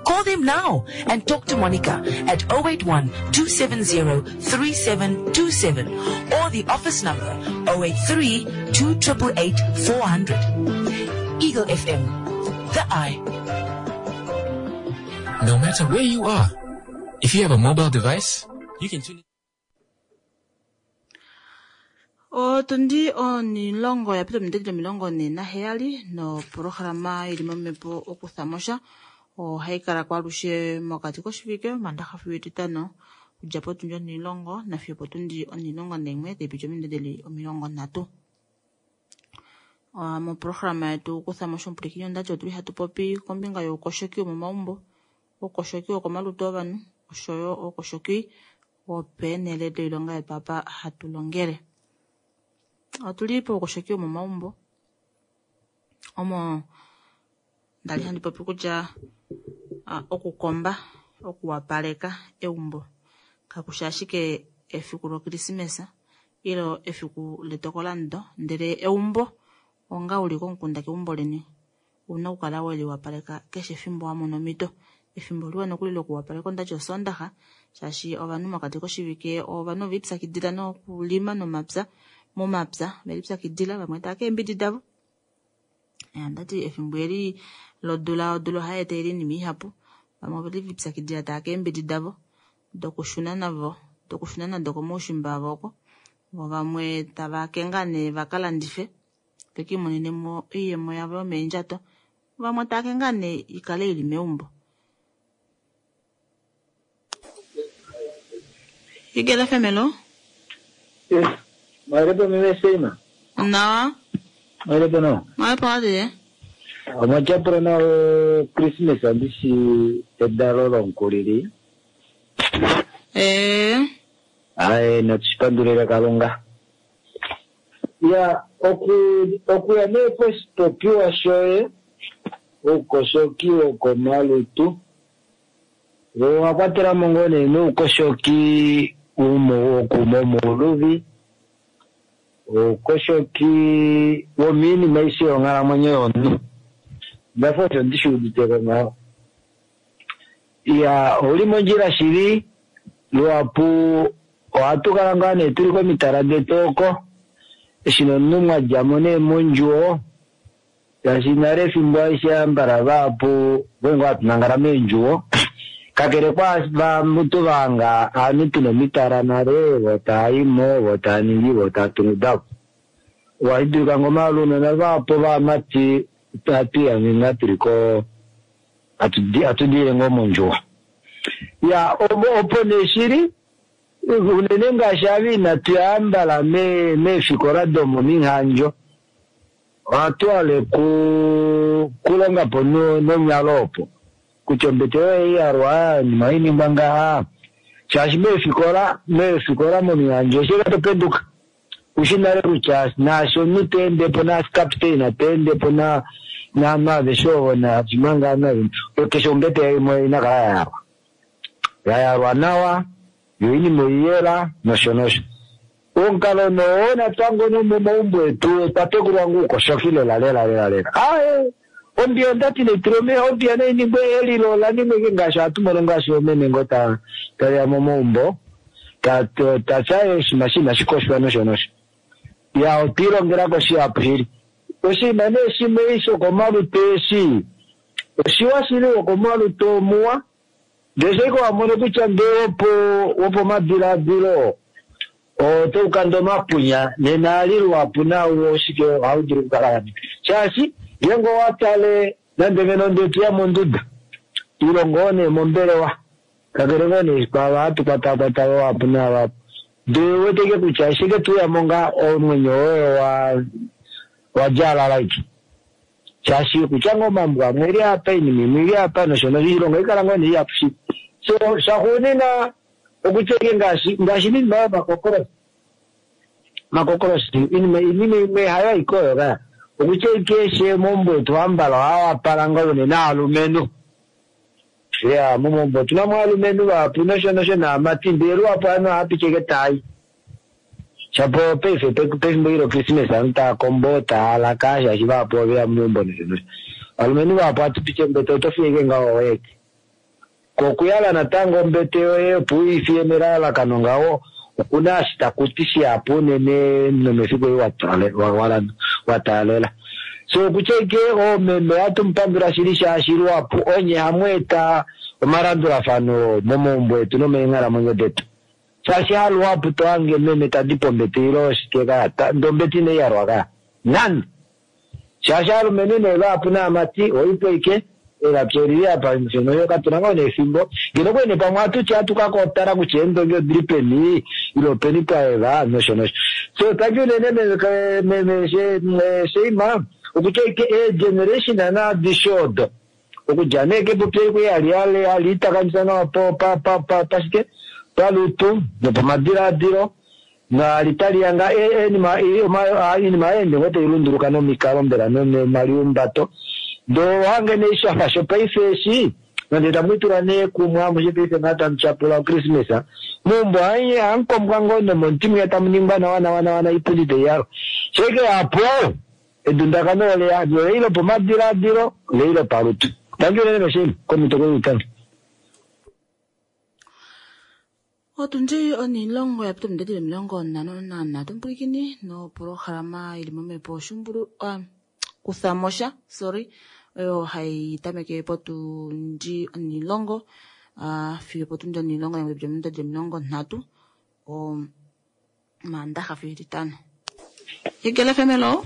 [SPEAKER 3] Call them now and talk to Monica at oh eight one, two seven zero, three seven two seven or the office number oh eight three, two eight eight, four hundred. Eagle F M, the eye.
[SPEAKER 5] No matter where you are, if you have a mobile device, you can tune in.
[SPEAKER 1] Otundi onilongo ya pita omindedi omilongo ne naheyali noprograma ili momhepo okuthamosha ohayi kala kwalushe mokati koshivike Omaandaxa fiyo Etitano okudja potundi onilongo nafiyo potundi onilongo naimwe taipiti omindedeli omilongo nhatu. Moprograma yetu okuthamosha omupulikini ondati otuli hatu popi kombinga youkoshoki womomaumbo, oukoshoki wokomalutu ovanhu oshoyo oukoshoki wopeenhele doilonga yetu apa hatu longele. Otuli poukoshoki womomaumbo omo ndali handi popi kutya okukomba, okuwapaleka eumbo kakushi ashike efiku lokrisimesa ilo efiku letokolando, ndele eumbo onga uli komukunda keumbo leni una okukala weliwapaleka keshe efimbo wa mona omhito. Efimbo liwa nokuli lokuwapaleka ondati osondaxa, shaashi ovanhu mokati koshivike ovanhu ove lipyakidila nokulima nomapya, momapya ve lipyakidila vamwe tava keembidi davo. Andati efimbo eli lodula, odula ohai etele oinima ihapu, vamwe ove lipyakidila tava keembidi davo dokushuna navo, dokushuna nado komaushimba avo oko, vo vamwe tava kenga nee vaka landife vekiimonene mo oiyemo yavo yomeendjato, vamwe tava kenga nee ikale ili meumbo. Eagle F M, hello?
[SPEAKER 7] Yes. Mwalepo mimi Seima.
[SPEAKER 1] Nawa.
[SPEAKER 7] Mwalepo no.
[SPEAKER 1] Mwalepo adi.
[SPEAKER 7] Omwachapura nawe Christmas andishi edalo lonkulili.
[SPEAKER 1] Eh.
[SPEAKER 7] Aye, natushipandulira Kalunga. Ya, oku okuya nepo popiwa shoye ukoshoki wokomalutu wakwatela mo ngoo nee noukoshoki wokumomuluvi Oukoshoki womiinima aishe yonghalamwenyo yomunhu. Ndafa osho ndishi uditeko ngaho. Iya, ouli mondjila shili, luhapu ohatu kala ngaa nee tuli komitala detu oko, eshi nomunhu mwa djamo nee mondjuwo, shaashi nale efimbo aishe ambala vahapu okwali hatu nangala meendjuwo, kakele kwavantu vahanga ovanhu tuna omitala nale, vo taaimo, vo taaningi, vo taatungu davo. Ohashi dulika ngoo omalunona vahapu vaamati hatu ihange ngaa tuli ko hatu diile ngoo mondjuwo. Ya, opo nee shili, unene ngaashi ava inatu ya ambala meefikola domomihandjo, ohatu hale kulonga po nonyalo opo. Kutya ombete yoye iyalwa, oinima ohainingwa ngaha. Shaashi meefikola, meefikola momihandjo eshi topenduka, ushi nale kutya naashi omunhu teendepo, naashi kaptein teendepo, naanhu aveshe ovo nashimanga ovanhu keshe ombete imwe inakala yayalwa. Yayalwa nawa, yo oinima oiyela, nosho nosho. Omukalo noo natango nomomaumbo etu otwa tekulwa ngoo oukoshoki lela lela lela lela. Aaye, ombiya ondati naitulwe omeya, ombiya nainingwe elilo olaningwa ike ngaashi ohatu mono ngaashi oomeme ngoo taveya momaumbo, tatya oshinima inashi koshwa nosho nosho. Ya, otwiilongelako shihapu shili. Oshinima nee shimwe shokomalutu eshi, oshiwa shili wokomalutu omuwa, ndele shike wamono kutya ndee wopo wopomadilaadilo otaukanda omapunya, nena ali luhapu nawo oshike ohaudulu okukala shaashi ngeenge owatale nande ngeno ndee toya monduda ile ngoo nee mombelewa, kakele ngoo nee kwaava hatu kwatakwata vahapu navahapu, ndee ouwete ike kutya eshi ike touyamo ngaa omwenyo woye wadjaalala ike. Shaashi kutya ngoo omambo amwe eli apa, oinima imwe ili apa nosho nosho, oilonga oikala ngoo nee ihapu shili. So shaxuunina okutya ike ngaashi ngaashi oinima yomakokoloshi, makokoloshi oinima imwe hayo aike oyo kaya. Okutya ike eshi momaumbo etu ambala ohawapala ngoo unene aalumenhu. Ya, momaumbo otuna mo aalumenhu vahapu nosho nosho naamati, ndele luhapu ovanhu ohava ike taayi. Shapo paife pefimbo eli lokrismesa ovanhu tava kombo, tava laka, shaashi vahapu oveya momaumbo nosho nosho. Ovalumenhu vahapu ohatu piti ombete oto fiye ike ngaho oyeke. Kokuyala natango ombete yoye opo uifiye melalakano ngaho, okuna eshi takuti shihapu unene nomefiku eli wataalela. So okutya ike oomeme ohatu mupandula shili shaashi luhapu onye hamu eta omalandulafano momaumbo etu nomeenghalamwenyo detu. Shaashi haluhapu tohange meme tadi pombete ile oshike kaya, ndee ombete inaiyalwa kaya. Nande! Shaashi aalumenhu nee vahapu naamati oipo ike, elapya olili apa nosho katuna ngoo nee efimbo. Ngeno okwali nee pamwe ohatuti ohatu kakotala kutya eendongi odili peni, ile openi pwaeva nosho nosho. So tangi unene meme Sheima, okutya ike eegeneration adishe odo, okudja nee kepupi eli kwali hali itakamisa nawa pashike, palutu nopamadilaadilo, nali tali nga oinima ohayeende ngoo tailunduluka nomikalo mbela nomaliumbato. Ndee ohange nee shafa shopaife eshi, nande tamwiitula nee kumwe amushe paife ngaa tamu tyapula okrismesa, meumbo ohamukombwa ngoo nomomuti mwiya tamu ningwa nawa nawa nawa noipundi taiyalwa. Shike hapo, edundakano oleya, olei lopomadilaadilo, olei lopalutu. Tangi unene meshiima, komito kweyi
[SPEAKER 1] Otundi onilongo yapita omidadi omilongo nhano nanhatu mpwilikini nopolohalama ili momhepo shumbulu kuthamosha sorry oyo hai tameke potundi onilongo fiyo potundi onilongo omidadi omilongo nhatu omaandaxa fiyo etitano. Eagle F M hello.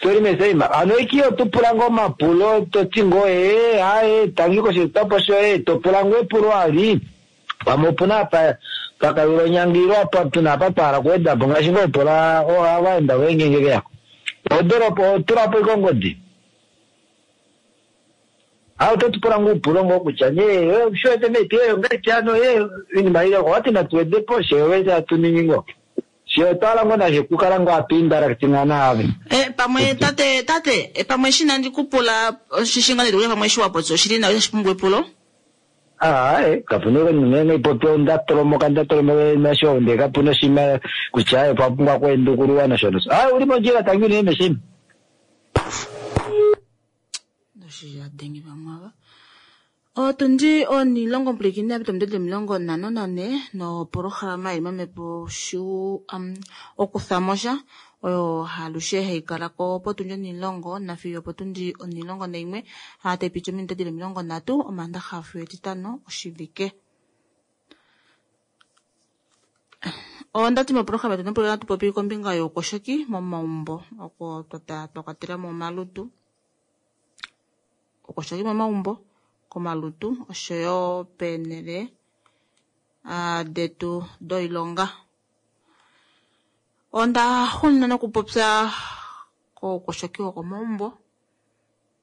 [SPEAKER 7] Sorry Meseima, ano iki otupula ngoo omapulo toti ngoo ee aye tangi koshietapo shoye topula ngoo epulo ali. Pamwe opuna apa pakayula onyanga apa tuna apa twahala okuwedapo ngaashi ngoo pula ovaenda voye ngeenge veyako. Odoropo otulapo ike ongodi. Ah, ototupula ngoo upulo ngoo kutya nee shiwete meti ngahelipi hano oinima ile owati natuwedepo she wete hatu ningi ngoo. She otwahala ngoo nashe kukala ngoo hatu interactinga naave.
[SPEAKER 1] Eh, pamwe tate tate pamwe eshi nandi kupula oshishinga neti pamwe eshi wapopya oshili nawa itashi pumbwa epulo.
[SPEAKER 7] Aaye kapuna nenge ipopiwa ndatolomoka ndatolomoka nasho ndee kapuna oshinima kutya aye opwa pumbwa okwendukululwa nosho nosho. Aaye uli mondjila tangi unene meshini.
[SPEAKER 1] Oshiyadenge vamwe ava. Otundi onilongo mpwilikini yapita omudede omilongo nhano nane nopolohalama ili momhepo shu um, okuthamosha oyo halushe hayi kala ko potundi onilongo nafiyo potundi onilongo naimwe taipiti ominute dili omilongo nhatu omaandaxa fiyo etitano oshivike. Ondati mopolohalama yetu nopo hatu popi kombinga youkoshoki momaumbo oko twa kwatela mo omalutu, oukoshoki momaumbo komalutu oshoyo peenhele detu doilonga. Onda xulila nokupopya koukoshoki wokomaumbo.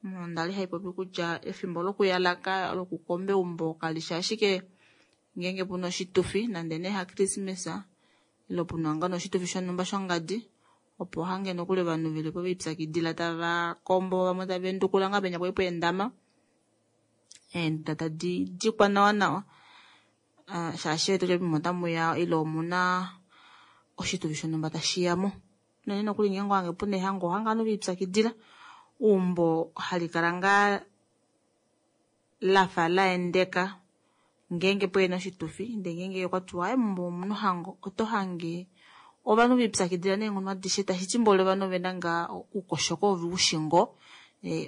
[SPEAKER 1] Onda li haipopi kutya efimbo lokuyalaka lokukomba eumbo kalishi ashike ngeenge puna oshitufi nande nee haKrismesa ile puna ngoo oshitufi shonhumba shongadi opo hange nokuli ovanhu velipo veipyakidila tava kombo vamwe tava endukula ngaa penya kwali pweendama eenduda tadi dikwa nawa nawa shaashi wetu otamuya ile omuna oshitufi shonhumba tashi yamo. Unene nokuli ngeenge ohange puna ehango ohange ovanhu veipyakidila eumbo hali kala ngaa lafa laendeka ngeenge pwena oshitufi ndee ngeenge okwatiwa aaye meumbo omuna ohango oto hange ovanhu veipyakidila neenghono adishe tashiti mboli ovanhu ovena ngaa oukoshoko oveushi ngoo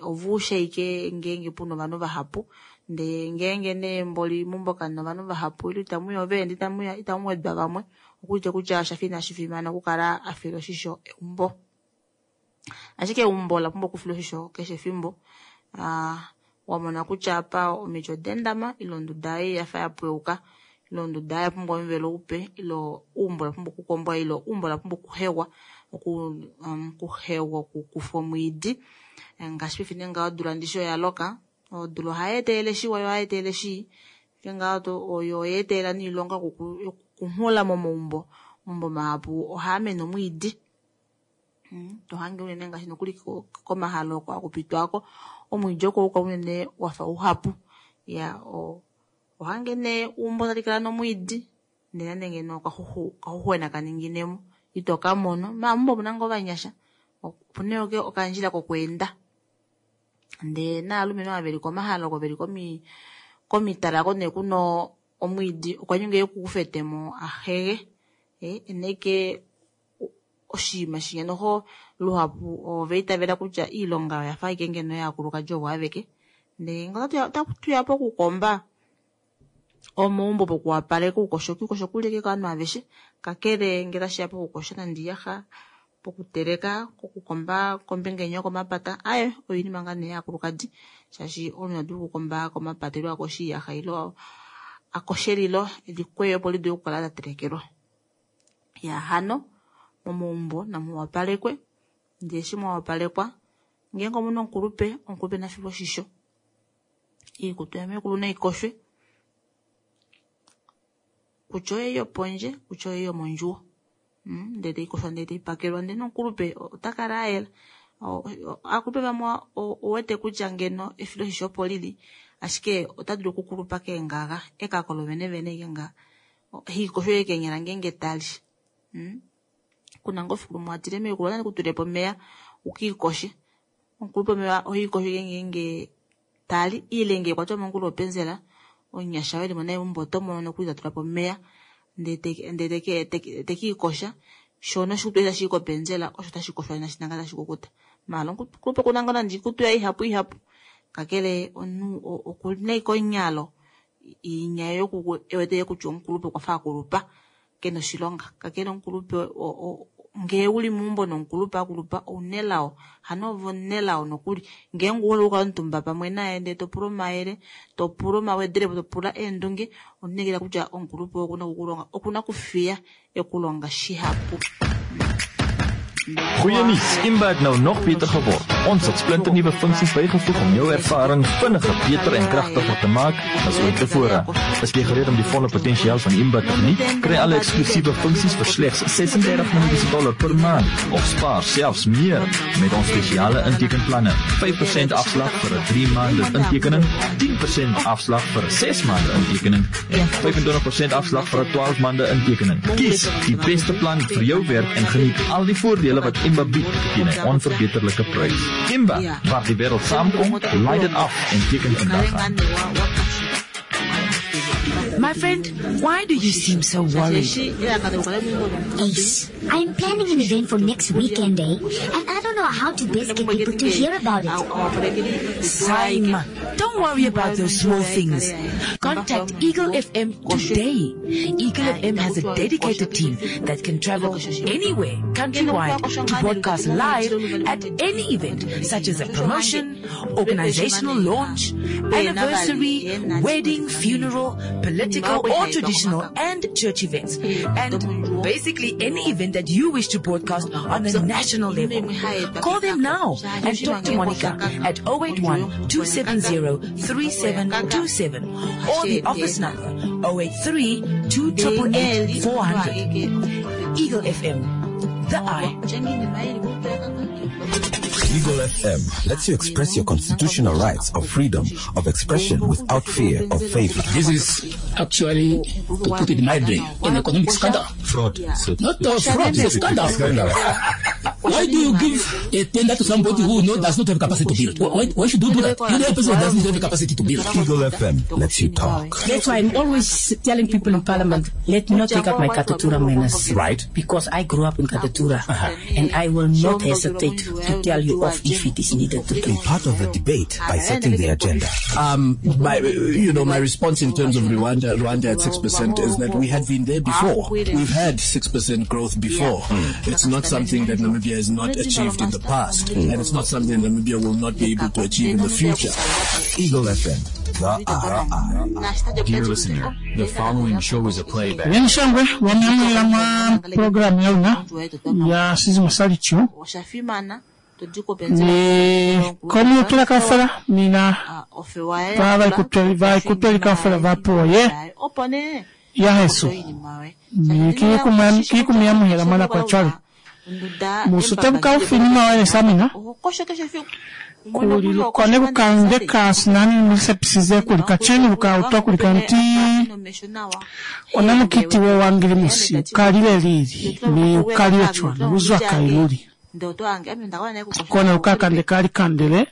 [SPEAKER 1] oveusha ashike ngeenge puna ovanhu vahapu ndee ngeenge nee mboli meumbo kamuna ovanhu vahapu ile itamuya oveenda itamuya itamu wedwa vamwe okuulike kutya oshafa inashi fimana okukala afila oshisho eumbo. Ashike eumbo ola pumbwa okufilwa oshisho keshe efimbo. Wamona kutya apa omiti odaendama ile onduda ei yafa yapweuka ile onduda ei oyapumbwa omuvelo upe ile eumbo olapumbwa okukombwa ile eumbo olapumbwa okuhegwa okuhegwa okukufwa omwiidi ngaashi paife nee ngaho odula ndishi oyaloka odula ohayeetelele shiwa yo ohayeetelele shii ngaho oyo oyeetelela noilonga yokukunghula momaumbo omaumbo mahapu ohaamene omwiidi tohange unene ngaashi nokuli komahala oko hakupitwako omwiidi oko uka unene wafa uhapu ya ohange nee eumbo tali kala nomwiidi ndee nande ngeno okaxuxwena kaninginemo ito kamono maala meumbo omuna ngoo ovanyasha opuna yo okandjila kokweenda ndee naalumenhu ava veli komahala oko veli komitala oko nee kuna omwiidi okwa nyengwa ekufetemo ahege ena ashike oshinima shinya noho luhapu ovaitavela kutya oilonga oyafa ashike ngeno yaakulukadi ovo aveke ndee otatuya pokukomba omaumbo pokuwapaleka oukoshoki oukoshoki ouli ashike kovanhu aveshe kakele ngee tashiya pokukosha nande oiyaxa pokuteleka kokukomba kombinga inya yokomapata aaye oinima ngaa nee yaakulukadi shaashi omunhu ita dulu okukomba komapata ile akoshe oiyaxa ile akoshe elilo elikweye opo lidule okukala latelekelwa. Ya hano momaumbo namuwapalekwe ndee eshi mwawapalekwa ngeenge omuna omukulupe omukulupe nafilwe oshisho oikutu yamekulu naikoshwe kutya oyeyi yopondje kutya oyeyi yomondjuwo ndee taikoshwa ndee taipakelwa ndee nomukulupe otakala ayela. Aakulupe vamwe owete kutya ngeno efiloshisho opo lili ashike ota dulu okukulupa keengaga ekako lovenevene ashike nga haikosho ashike keenyala ngeenge tali kuna ngoo efiku limwe watile mekulu nandi kutulilepo omeya ukiikoshe omukulupe omeva ohaikosho ashike ngeenge tali ile ngee kwatiwa mongula openzela omunyasha oo elimo naye meumbo otomono nokuli tatulapo omeya ndee tekiikosha shoo noshikutu eshi tashi i kopenzela osho tashi koshwa nanga tashi kukuta maala omukulupe okuna ngoo nande oikutu yaye ihapu ihapu kakele omunhu okuna ashike onyalo inya ewete kutya omukulupe okwafa akulupa kena oshilonga kakele omukulupe ngee uli meumbo nomukulupe akulupa ounelao hano ove omunelao nokuli ngeenge ouhole okukala omutumba pamwe naye ndee topula omayele topula omawedelepo topula eendunge omunekela kutya omukulupe okuna okukulonga okuna okufiya ekulonga shihapu.
[SPEAKER 8] Goeie nuus, Imba het nou nog beter geword. Ons het splinternuwe funksies bygevoeg om jou ervaring vinniger, beter en kragtiger te maak as ooit tevore. Is jy gereed om die volle potensiaal van Imba te geniet? Kry alle eksklusiewe funksies vir slegs ses-en-dertig Namibiese dollar per maand of spaar selfs meer met ons spesiale intekenplanne. vyf persent afslag vir 'n drie maande intekening, tien persent afslag vir 'n ses maande intekening en vyf-en-twintig persent afslag vir 'n twaalf maande intekening. Kies die beste plan vir jou werk en geniet al die voordele wat Imba bied teen 'n onverbeterlike prys. Imba, waar die wêreld saamkom, laai dit af en teken vandag aan.
[SPEAKER 3] My friend, why do you seem so worried?
[SPEAKER 4] Ace, I'm planning an event for next weekend, eh? And I don't know how to best get people to hear about it.
[SPEAKER 3] Saima, don't worry about those small things. Contact Eagle F M today. Eagle F M has a dedicated team that can travel anywhere, countrywide, to broadcast live at any event, such as a promotion, organizational launch, anniversary, wedding, funeral, political or traditional and church events, and basically any event that you wish to broadcast on a national level. Call them now and talk to Monica at oh eight one, two seven zero, three seven two seven or the office number oh eight three, two triple eight, four hundred. Eagle F M, the eye.
[SPEAKER 6] Eagle F M lets you express your constitutional rights of freedom of expression without fear of favor.
[SPEAKER 9] This is actually, to put it mildly, an economic scandal.
[SPEAKER 6] Fraud.
[SPEAKER 9] Not a fraud, it's a scandal.
[SPEAKER 6] Scandal.
[SPEAKER 9] Why do you give a tender to somebody who no, does not have capacity to build? Why, why should you do that? You know a person who doesn't have the capacity to build.
[SPEAKER 6] Eagle F M lets you talk.
[SPEAKER 10] That's why I'm always telling people in Parliament, let me not take up my Katutura manners.
[SPEAKER 6] Right.
[SPEAKER 10] Because I grew up in Katutura.
[SPEAKER 6] Uh-huh.
[SPEAKER 10] And I will not hesitate to tell you off if it is needed to do.
[SPEAKER 6] Be part of the debate by setting the agenda.
[SPEAKER 11] Um, my, you know, my response in terms of Rwanda, Rwanda at six percent is that we had been there before. We've had six percent growth before.
[SPEAKER 6] Mm.
[SPEAKER 11] It's not something that Namibia has not achieved in the past,
[SPEAKER 6] Mm.
[SPEAKER 11] and it's not something Namibia will not be able to achieve in the future.
[SPEAKER 6] Eagle F M, the eye.
[SPEAKER 12] Dear listener, the following show is a playback.
[SPEAKER 13] Nyenshangwe wamyamwela mwa program ya luna ya Sizi Masalicho ni komu kaufela mina ba ba ikutweli kaufela ba puo ye ya hesu ni ki kumiamuhela mwana kwa cwale musute bukaufi ni mawele samina kuli lukone kukande kasinani nisepisize kuli kacheni bukautwa kuli kanti ona mukiti wo wangili musi ukalile lili ni ukalile chwana uzwa kailuli kona ukakande kali kandele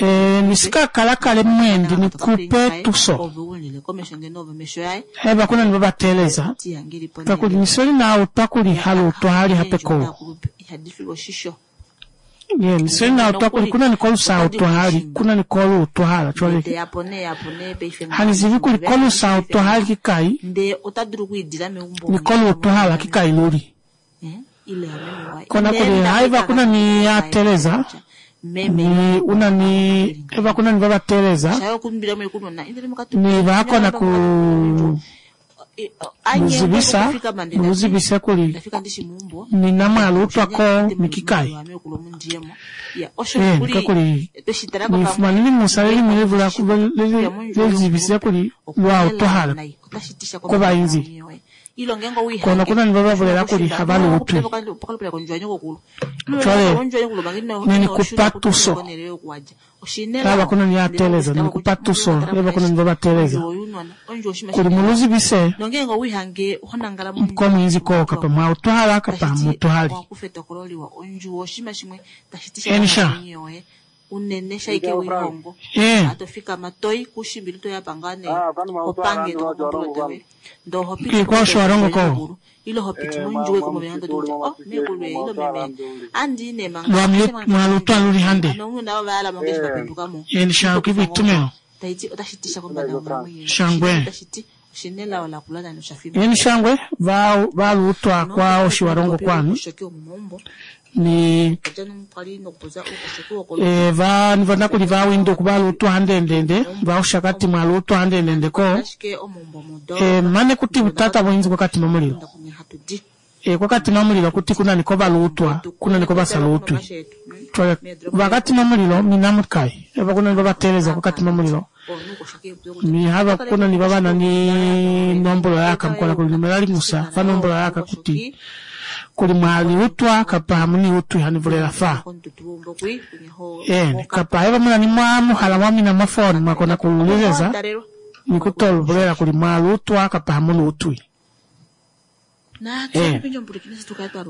[SPEAKER 13] e, nisika kalakale mwendi nikupe tuso heba kuna nibabateleza kakuli nisoli na utwa kuli halu utwa hali hapeko ye nisoli na utwa kuli kuna nikolu sa utwa hali kuna nikolu utwa hala chwale hanizivi kuli kolu sa utwa hali kikai nikolu utwa hala kikai luli kona kuli haiva kuna ni ateleza ni una ni eva kuna ni babateleza ni bakona ku muzibisa muzibisa kuli ni namwalutwa ko mikikai eh kakuli ni fumanili musaleli mulivula lezibisa kuli lwa utohala ko bainzi kono kuna ni babavulela kuli habalutwi cwale nenikupa tuso laba kuna ni ateleza nenikupa tuso leba kuna ni babateleza kuli muluzibise ko mwinzi ko kapa mwautwala kapa mutuhali enisha
[SPEAKER 1] unene shaike wihongo
[SPEAKER 13] Eh.
[SPEAKER 1] atofikama toi kushimbili to yapangane opange to kompulotewe ndo hopiti
[SPEAKER 13] Ki kwa osho ko.
[SPEAKER 1] ilo hopiti munjuwe kumobeyando tuti oh mekulwe ilo meme andi ne manga
[SPEAKER 13] Lwa mwalutwa luli hande
[SPEAKER 1] nongu vala mongeshi bapendukamo
[SPEAKER 13] enisha kivitumeo
[SPEAKER 1] taiti otashitisha kombanda yomamwe
[SPEAKER 13] Shangwe.
[SPEAKER 1] tashiti oshinela ola kulala no shafima
[SPEAKER 13] eni shangwe va valutwa kwa oshiwarongo kwanu ni e, va nivona kuli va Windhoek valutwa handendende va Oshakati mwalutwa handendende ko e, mane kuti butata bwinzi bwakatima mulilo E, kwa Katima Mulilo kuti kuna ni ko valuutwa kuna ni ko vasaluutwi cwale ba Katima Mulilo mina mukai eba kuna ni babateleza kwa Katima Mulilo mi haba kuna ni babana ni nombolo yaka mkola kuli numela limusa fa nombolo yaka kuti kuli mwaliutwa kapa hamuniutwi hanivulela fa ene kapa haiba muna ni mwa muhala mwa mina mwa foni mwakona kululeleza ni kutolubulela kuli mwalutwa kapa hamuluutwi. Eh.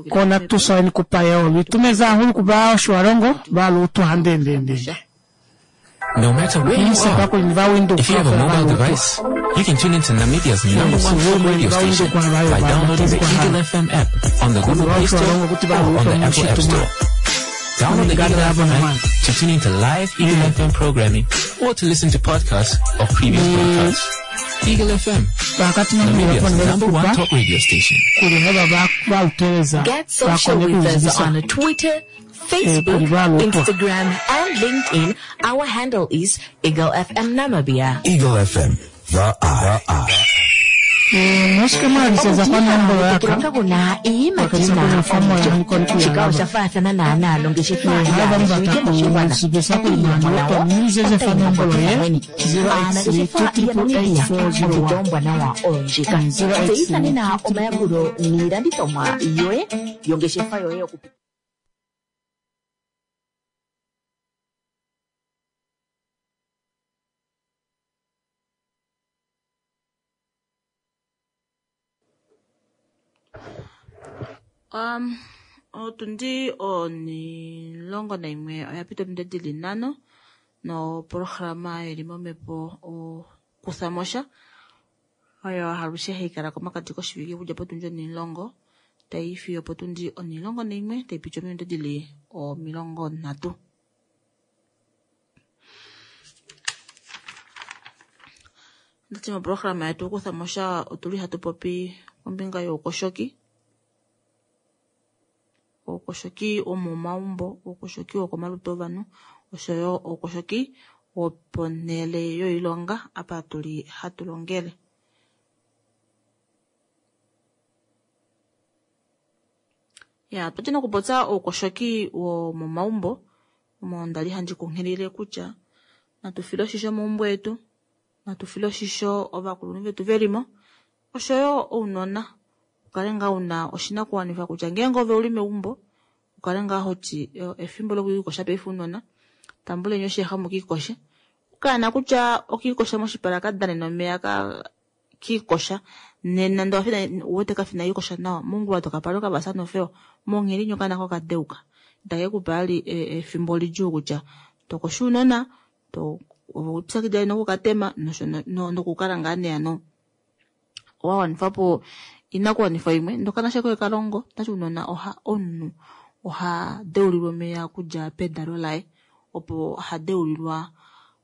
[SPEAKER 13] Kona tuso ni kupa yeo litumeza hahulu kuba Otjiwarongo balutwa handendende.
[SPEAKER 5] No matter where you
[SPEAKER 13] Nisepa
[SPEAKER 5] are,
[SPEAKER 13] kuli ni ba Windhoek
[SPEAKER 5] if you have a
[SPEAKER 13] kaufela
[SPEAKER 5] mobile
[SPEAKER 13] balutwa.
[SPEAKER 5] device, you can tune into Namibia's number one talk radio station by downloading the Eagle F M app on the Google Play Store or on the Apple App Store. Download the Eagle F M app to tune into live Eagle F M programming or to listen to podcasts of previous broadcasts. Eagle F M,
[SPEAKER 13] Ba Katima Mulilo
[SPEAKER 5] Namibia's
[SPEAKER 13] kona
[SPEAKER 5] number one
[SPEAKER 13] kupa
[SPEAKER 5] talk radio station.
[SPEAKER 13] kuli heba ba baluteleza
[SPEAKER 3] Get social
[SPEAKER 13] bakone
[SPEAKER 3] with us
[SPEAKER 13] kuluzibisa
[SPEAKER 3] on Twitter,
[SPEAKER 13] eh,
[SPEAKER 3] Facebook,
[SPEAKER 13] kuli balutwa.
[SPEAKER 3] Instagram, and LinkedIn. Our handle is Eagle F M Namibia.
[SPEAKER 6] Eagle F M, the eye. The eye.
[SPEAKER 13] Eh, musike mwaliseza kwa nombolo yaka
[SPEAKER 2] Okutekela kuna iiyimati
[SPEAKER 13] Bakatisa
[SPEAKER 2] na
[SPEAKER 13] kuna fomo ya nikoni
[SPEAKER 2] omulyo. Shika
[SPEAKER 13] kuyalaba.
[SPEAKER 2] osha faathana naanaa nongeshefa
[SPEAKER 13] Eh, haiba
[SPEAKER 2] yaashiwike
[SPEAKER 13] mubata
[SPEAKER 2] moshigwana.
[SPEAKER 13] kuluzibisa kuli
[SPEAKER 2] Iiyemo
[SPEAKER 13] mwaliutwa
[SPEAKER 2] nawo
[SPEAKER 13] mulizeze fa
[SPEAKER 2] otayi
[SPEAKER 13] nombolo ye
[SPEAKER 2] mweni.
[SPEAKER 13] zero eight three
[SPEAKER 2] Aanangeshefa
[SPEAKER 13] two triple eight
[SPEAKER 2] yaNamibia
[SPEAKER 13] four zero
[SPEAKER 2] ompito
[SPEAKER 13] one.
[SPEAKER 2] ombwanawa oyo ndjika.
[SPEAKER 13] Zero eight three
[SPEAKER 2] Tseyitha nena omayakulo niilandithomwa yoye yongeshefa yoye yoku
[SPEAKER 1] Um, otundi onilongo naimwe oya pita ominute dili nhano noprograma ili momhepo okuthamosha oyo alushe haikala komakati koshivike okudja potundi onilongo tai fiyo potundi onilongo naimwe taipiti ominute dili omilongo nhatu. Ndati moprograma yetu okuthamosha otuli hatu popi kombinga youkoshoki, oukoshoki womomaumbo, oukoshoki wokomalutu ovanhu oshoyo oukoshoki woponhele yoilonga apa tuli hatu longele. Ya, twati nokupopya oukoshoki womomaumbo omo ndali handi kunghilile kutya natu file oshisho omaumbo etu, natu file oshisho ovakulunhu vetu velimo oshoyo ounona. Ukale ngaa una oshinakuwanifwa kutya ngeenge ove uli meumbo ukale ngaa hoti efimbo lokwiikosha paife ounona tambuleni oshiyaxa mukiikoshe. Okaana kutya okiikosha moshipala kadane nomeya ka kiikosha nena ndee owafina uwete kafina iikosha nawa mongula tokapala okavasa nofewa monghedi inyo okaana kokadeuka itakekupa vali efimbo lidjuu kutya tokosha ounona to ove lipyakidila nokukatema nosho nokukala ngaa nee hano wawanifapo inakuwanifwa imwe ndokana koye kalongo tashi ounona oha omunhu oha deulilwa omeya okudja pedalo laye opo ha deulilwa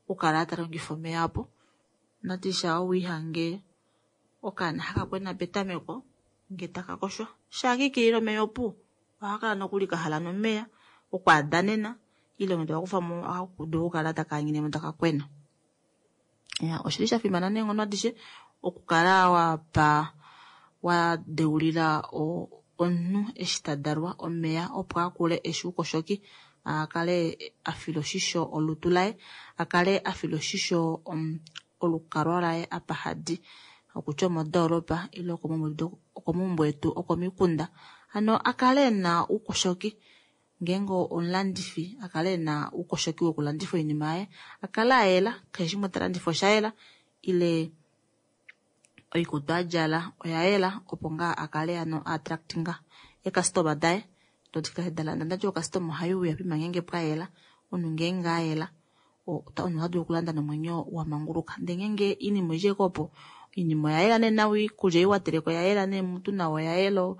[SPEAKER 1] okukala talongifa omeya apo. Natisha owiihange okaana hakakwena petameko nge taka koshwa shaakikilile omeya opu ohakala nokuli kahala nomeya okwaadanena ile nge tokakufamo ohakadulu okukala takaanyinemo taka kwena. Ya, oshili shafimana neenghono adishe okukala wapa wadeulila omunhu eshi tadalwa omeya opo akule eshi oukoshoki akale afila oshisho olutu laye, akale afila oshisho olukalwa laye apa hadi okutya omodoolopa ile okomaumbo etu okomikunda. Hano akale ena oukoshoki ngeenge omulandifi akale ena oukoshoki wokulandifa oinima yaye, akale ayela keshe shimwe talandifa oshayela ile oikutu adjala oyayela opo ngaa akale hano a-attractinga eekastoma daye dodikale dalanda. Ndati okastoma ohaiuya poima ngeenge pwayela, omunhu ngeenge ayela omunhu ota dulu okulanda nomwenyo wamanguluka. Ndee ngeenge oinima oidjeko opo oinima oyayela nee nawa, oikulya ei wateleka oyayela nee mutu nawa oyayela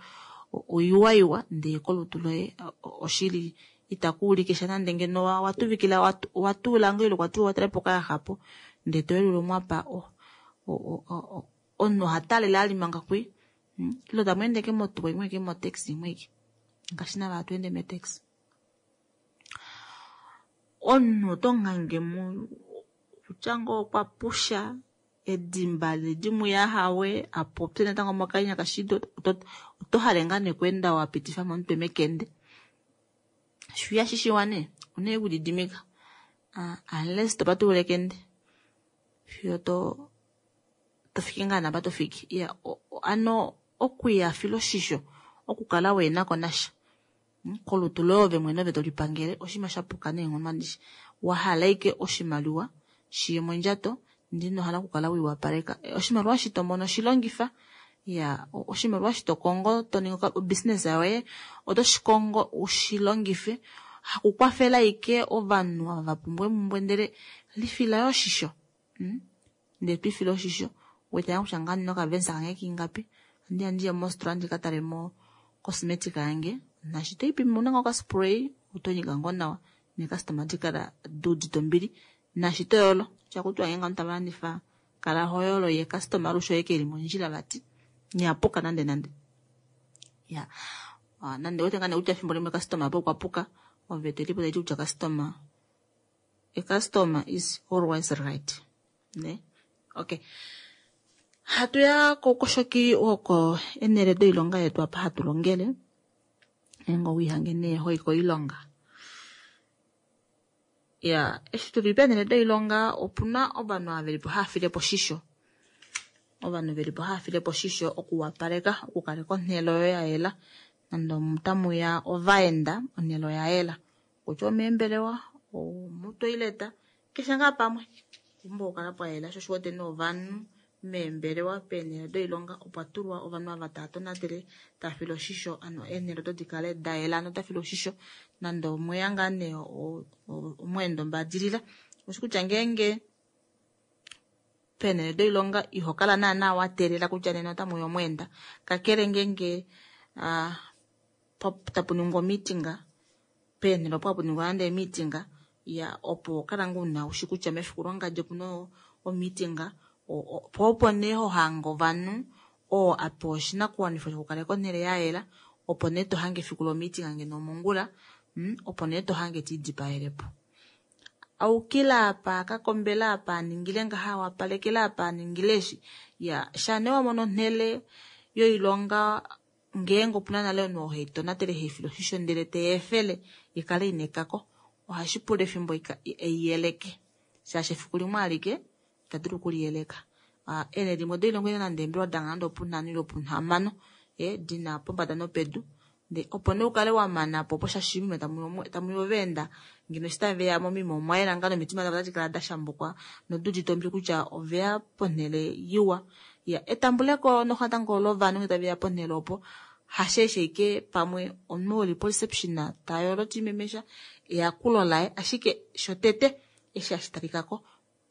[SPEAKER 1] oiwaiwa ndee kolutu loye oshili itakuulike sha nande ngeno watuvikila watuula ngoo ile kwatuula watulapo okayaxa ndee toyelula omwapa omunhu oha talele ali manga kwi ile tamweende ke motuwa imwe ke motaxi imwe ike ngaashi nava hatu ende metaxi. Omunhu oto ngangemo kutya ngoo okwa pusha Edimba ledimuyahawe apopye natango mokanya kashido oto hale ngaa nekwenda wapitifa momutwe mekende shuya shishiwa ne une okulididimika uh, unless topatulula ekende fiyo to tofiki ngaa napa tofiki ya ano okuyafila oshisho okukala wenako nasha kolutu loye ove mwene ove tolipangele oshinima shapuka neenghono adishe wahala ike oshimaliwa shiye mondjato ndino hala okukala wiwapaleka oshimaliwa shi tomono shilongifa ya oshimaliwa shi tokongo toninga obusiness yoye oto shikongo ushilongife hakukwafela ike ovanhu ava vapumbwa emumbwe ndele lifila yo oshisho mm? ndele twifile oshisho wetanga kutya ngaa nina okavensa kange kingapi andi andiye mositola ndikatalemo cosmetic yange nashi toipimi una nga okaspray otonyika ngoo nawa neekastoma dikala duudite ombili nashi toyolo shakutiwa ngeenge ovanhu tava landifa kala hoyolo ye customer alushe oye keli mondjila vati nyapuka nande nande ya uh, nande wete ngaa kutya efimbo limwe customer apo okwa puka ove telipo taiti kutya customer a customer is always right ne okay hatuya koukoshoki woko enele doilonga yetu apa hatu longele ngeenge owiihange nee hoi koilonga ya eshi tuli peenhele doilonga opuna ovanhu ava velipo hava filepo oshisho ovanhu velipo hava filepo oshisho okuwapaleka okukaleka onhele oyo ya yela nande otamuya ovaenda onhele oya yela kutya omeembelewa omutoileta keshe ngaa pamwe opumbwa okukala pwayela sho oshiwete nee ovanhu meembelewa peenhele doilonga opwa tulwa ovanhu ava tava tonatele tava file oshisho ano eenhele odo dikale dayela ano dafilwa oshisho nande omweya ngaa nee omweendo mbadilila oshi kutya ngeenge peenhele doilonga ihokala naana wateelela kutya nena otamuya omweenda kakele ngeenge uh, tapu ningwa omiitinga peenhele opo hapu ningwa nande emiitinga ya opo kala ngoo una ushi kutya mefiku longadi opuna omiitinga po opo nee hohange ovanhu oo apewa oshinakuwanifwa shokukaleka onhele ya yela opo nee tohange efiku lomiitinga ngeno omongula mm, opo nee tohange tiidipayelepo aukila apa akakombela apa aningile ngaha wapalekela apa aningile eshi ya sha nee wamono onhele yoilonga ngeenge opuna nale omunhu oo heitonatele heifile oshisho ndele teyeefele ikale ina ekako ohashi pula efimbo eiyeleke shaashi efiku limwe alike itadulu okuliyeleka uh, eenhele dimwe doilonga ina nande eembelewa danga nande opunhano ile opunhamano e dina pombada nopedu nde opo nee ukale wamana po opo shaashi mime tamuya ovaenda ngeno eshi taveya momima omwayela ngaa nomitima davo otadi kala dashambukwa noduudite ombili kutya oveya ponhele iwa ya etambuleko noxatango lovanhu ngee taveya ponhele opo hasheeshe ike pamwe omunhu oli po reception tayolo tiimemesha eyakulo laye ashike shotete eshi hashi talikako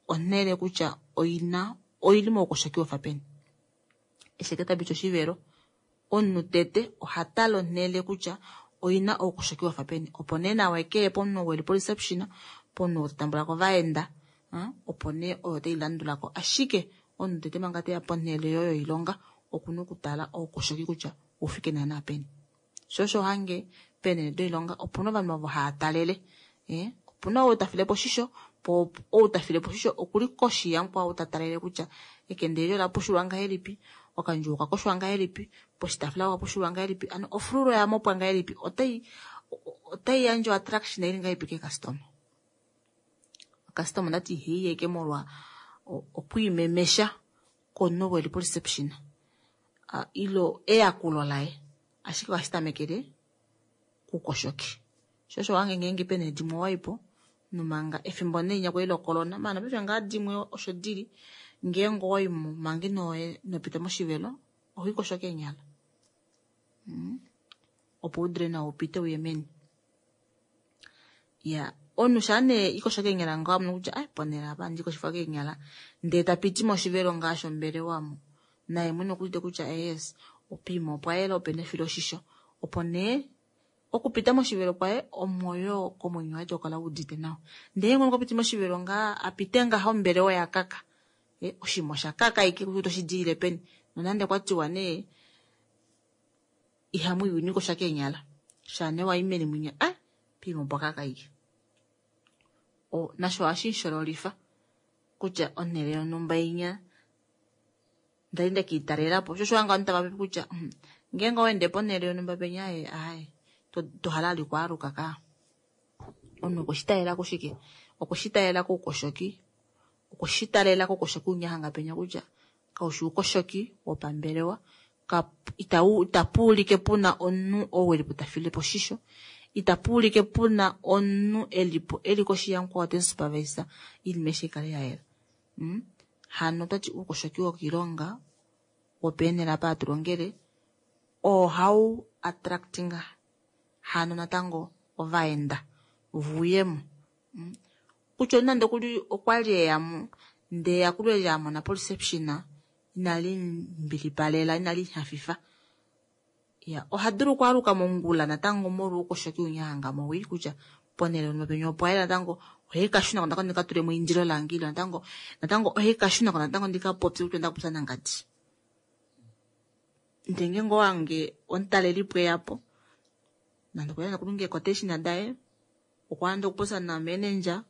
[SPEAKER 1] onhele kutya oina oili moukoshoki wafa peni eshi eke tapiti oshivelo omunhu tete ohatala onhele kutya oina oukoshoki wafa peni opo nee nawa ekeye pomunhu weli po reception pomunhu wotambulako ovaenda opo nee oyo tailandulako ashike omunhu tete manga teya ponhele yoyo yoilonga okuna okutala oukoshoki kutya oufike naana peni sho osho hange peenhele doilonga opuna ovanhu ovo hava talele eh opuna ou tafilepo oshisho po ou tafilepo oshisho okuli koshi yamukwao ta talele kutya ekende eli ola pushulwa ngahelipi okandjuwo okakoshwa ngahelipi poshitaafula okapushulwa ngahelipi ano ofululo yamopwa ngahelipi otai otai yandje attraction ili ngahelipi keekastoma customer ndati iheiye molwa okwiimemesha komunhu weli po reception uh, ilo eyakulo laye ashike ohashi tamekele kukoshoki sho osho wange ngeenge peenhele dimwe waipo nomanga efimbo nee inya kwali locorona maana paife ngaa dimwe osho dili ngeenge owaimo manga ino inopita moshivelo ohoikosho keenyala mm. opo udule nawa upite uye meni ya omunhu shaa nee ikosho keenyala ngaho amono kutya ai ponhele apa andikoshifa keenyala ndee tapiti moshivelo ngaa shombelewa mo naye mwene okuudite kutya yes opiima opwa yela opena efiloshisho opo nee okupita moshivelo kwaye omwoyo komwenyo waye tokala udite nawa ndee ngoo okapiti moshivelo ngaa apite ngaha ombelewa ya kaka e, oshima osha kaka ike kutya otoshi diile peni nonande kwatiwa nee ihamu iwa inikosha keenyala shaa nee wayi meni mwinya a piima opwa kaka ike o nasho ohashi shololifa kutya onhele yonhumba inya Ndali ndekiitalelapo sho osho hanga ovanhu tava popi kutya hmm, ngeenge owaende ponhele yonhumba penya ee aaye tohala vali okwaaluka kaa. Omunhu okweshitalela kushike? Okweshitalela koukoshoki, okweshitalela koukoshoki winya hanga penya kutya kaushi oukoshoki wopambelewa, itapuulike puna omunhu ou elipo tafilepo oshisho, itapuulike puna omunhu elipo eli koshi yamukwao temusupervisa oinima aishe ikale yayela. Mm? Hano otwati oukoshoki wokoilonga wopeenhele apa hatu longele oo hau attractinga hano natango ovaenda vouyemo. Mm? Kutya nande okuli okwali eyamo ndee eyakulo eli amona poreception inali mbilipalela inali hafifa. Ya, oha dulu okwaaluka mongula natango molwa oukoshoki winya hanga mowii kutya ponhele yonhumba penya opwa yela natango ohaikashunako natango ndikatulemo eindilo lange ile natango natango ohaikashunako natango ndikapopye kutya ondakupopya nangadi. Ndee ngeenge owange omutalelipo eyapo nande okwa okulonga eequotation daye okwa anda okupopya na manager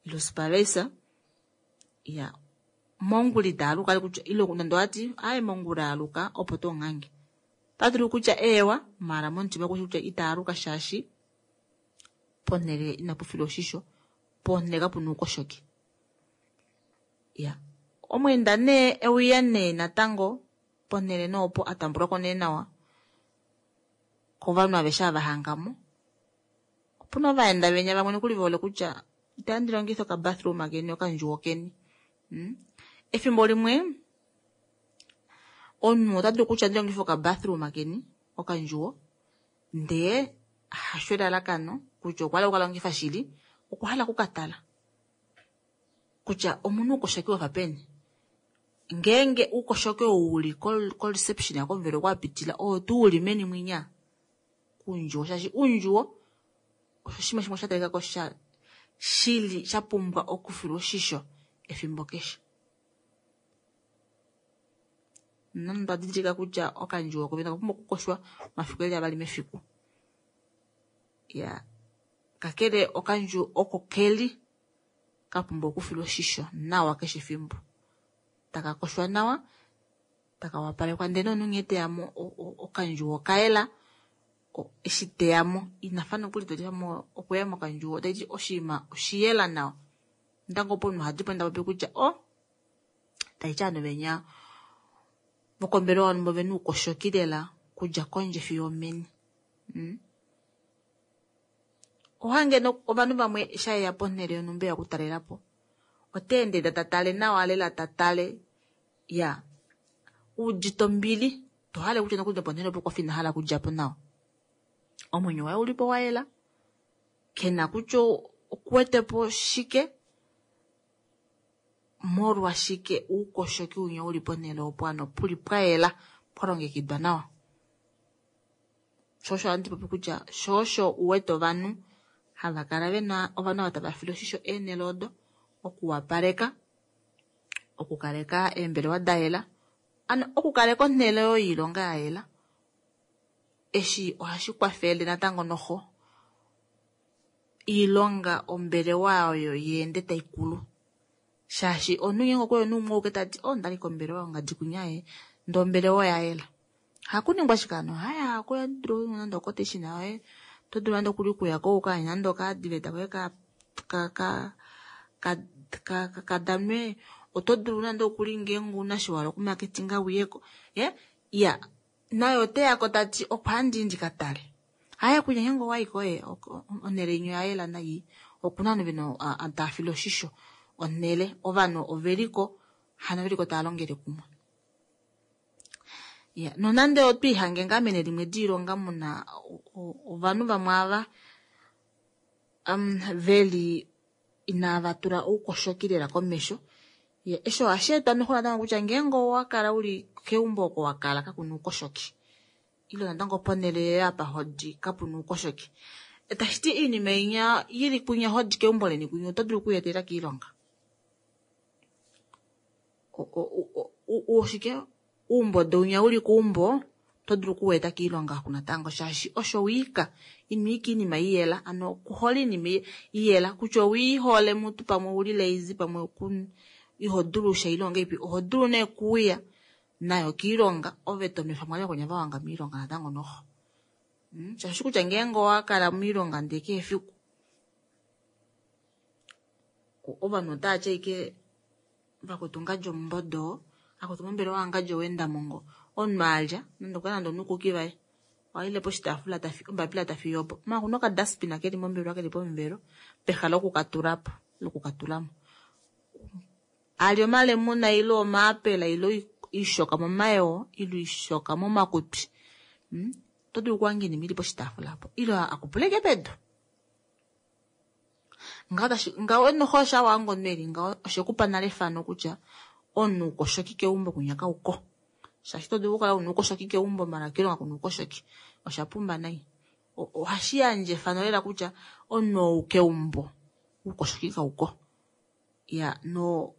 [SPEAKER 1] ile supervisor ya mongula itaaluka kutya ile nande owati aaye mongula aluka opo tonghange. Otadulu kutya eewa maala momutima okushi kutya itaaluka shaashi ponhele inapufilwa oshisho, ponhele kapuna oukoshoki. Ya, omweenda nee euya nee natango ponhele nee opo atambulwako nee nawa kovanhu aveshe ava hangamo. Opuna ovaenda venya vamwe nokuli vehole kutya itandi longifa okabathroom keni okandjuwo keni. Mm? Efimbo limwe omunhu ota dulu kutya ndilongife okabathroom keni okandjuwo ndee hasho elalakano kutya okwa hala okukalongifa shili, okwa hala okukatala kutya omuna oukoshoki wafa peni. Ngeenge oukoshoki ou uli koreception komuvelo oko wapitila oo tuu uli meni mwinya kuundjuwo, shaashi uundjuwo osho oshinima shimwe sha talikako sha shili sha pumbwa okufilwa oshisho efimbo keshe. Nonande otwa didilika kutya okandjuwo kovene okapumbwa okukoshwa omafiku eli avali mefiku. Ya, kakele okandjuwo oko keli kapumbwa okufilwa oshisho nawa keshe efimbo. Taka koshwa nawa, taka wapalekwa ndee nomunhu nghee teyamo okandjuwo okayela, eshi teyamo inafa nokuli tolifamo okuya mokandjuwo otaiti oshinima oshiyela nawa. Natango opo omunhu ohadipo tapopi kutya o taiti ovanhu venya vokombelewa yonhumba ovena oukoshoki lela okudja kondje fiyo omeni. Mm? Ohange ovanhu vamwe shayeya ponhele yonhumba eya okutalelapo oteende tatale nawa lela tatale ya udite ombili tohale kutya nokuli noponhele opo okwafa inahala okudjapo nawa. Omwenyo waye ulipo wayela, kena kutya okuwetepo shike molwashike oukoshoki winya uli ponhele opo ano puli pwayela pwalongekidwa nawa. Sho osho ohandi popi kutya sho osho uwete ovanhu hava kala vena ovanhu ava tava file oshisho eenhele odo okuwapaleka, okukaleka eembelewa dayela, ano okukaleka onhele yoilonga yayela. Eshi ohashi kwafele natango noxo oilonga ombelewa oyo yeende taikulu. Shaashi omunhu ngeenge okweya omunhu umwe auke tati oh ndali kombelewa yongadi kunya ye ndee ombelewa oyayela. Hakuningwa ashike hano haya dulu nande oquotation yoye oto dulu nande okuli okuyako ukayandje nande okaadvert koye ka ka ka kadanwe, oto dulu nande okuli ngeenge ouna eshi wahala okumarketinga uyeko. Iya, naye oteyako tati opo handii ndikatale. Haye kunya ngeenge owayiko onhele yenya oyayela nayi okuna ovanhu vena tava file oshisho onhele, ovanhu oveliko hano veliko tava longele kumwe. Ya, nonande otwiihange ngaa meni limwe diilonga muna ovanhu vamwe ava um, veli inava tula oukoshoki lela komesho. Ya, eshi ohashi etwa noxo natango kutya ngeenge owakala uli keumbo oko wakala kakuna oukoshoki ile natango ponhele yoye apa hodi kapuna oukoshoki, tashiti oinima inya ili kunya hodi keumbo leni kunya oto dulu okuyeetelela kiilonga. Oshike uumbodo winya uli keumbo oto dulu okuweeta kiilonga oku natango shaashi osho wiika ino ika iinima iyela, ano okuhole iinima iyela kutya owiihole mutu pamwe ouli lazy pamwe iho dulu sha ile ongahelipi, oho dulu nee okuuya Nayo kiilonga ove to nwefa mo vakwenya va wanga miilonga natango noho. Mm, shaashi kutya ngeenge owa kala miilonga ndee kehe efiku ovanhu otava ti ashike vakwetu ngadji omumbodo, akwetu mombelewa ngadji owendamongo, omunhu alya nande okwa nande onukuki vaye ohaile poshitaafula tafi ombapila tafiyopo maala okuna okadustbin keli mombelewa keli pomuvelo pehala lokukatulapo lokukatulamo. Ali omalemuna ile omaapela ile oishoka momayoo ile oishoka momakutwi, mm, oto dulu okuhanga oinima ili poshitaafula opo ile akupuleke pedu. Ngaho tashi ngaho noho osha wanga omunhu eli ngaho oshekupa nale efano kutya omunhu ukoshoki keumbo kunya kauko. Shaashi oto dulu okukala una ukoshoki keumbo maala kiilonga kuna ukoshoki osha pumba nai. Ohashi yandje efano lela kutya omunhu ou keumbo ukoshoki kauko. Ya no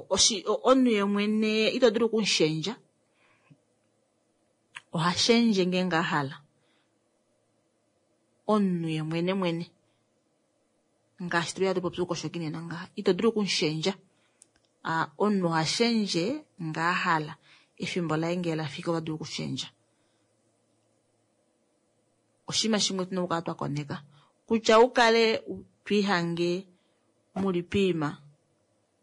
[SPEAKER 1] oshi omunhu yemwene ito dulu okumushendja, oha shendje ngeenge a hala. Omunhu yemwene mwene ngaashi tuli hatu popi ukoshoki nena ngaha ito dulu okumushendja. Omunhu oha shendje nga a hala efimbo laye ngee lafiki ota dulu okushendja. Oshinima shimwe tuna okukala twa koneka kutya ukale twiihange muli piima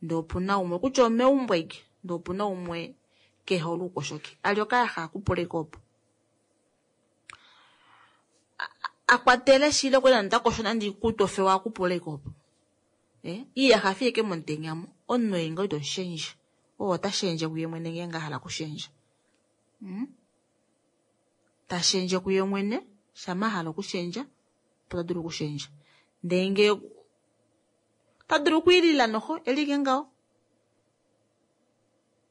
[SPEAKER 1] ndee opuna umwe kutya omeumbo ashike ndee opuna umwe kehole oukoshoki ali okayaxa akupuleke opo akwatele shili okwali nande takosho nande oikutu ofewa akupuleke opo. Eh, iyaxa fiyeke momutenya mo omunhu ei ngaho ito shendje oo ota shendje kuye mwene ngeenge a hala okushendja. Mm? Ta shendje kuye mwene shama a hala okushendja opo ta dulu okushendja. Ndee ngee ta dulu okwiilila noho elike ngaho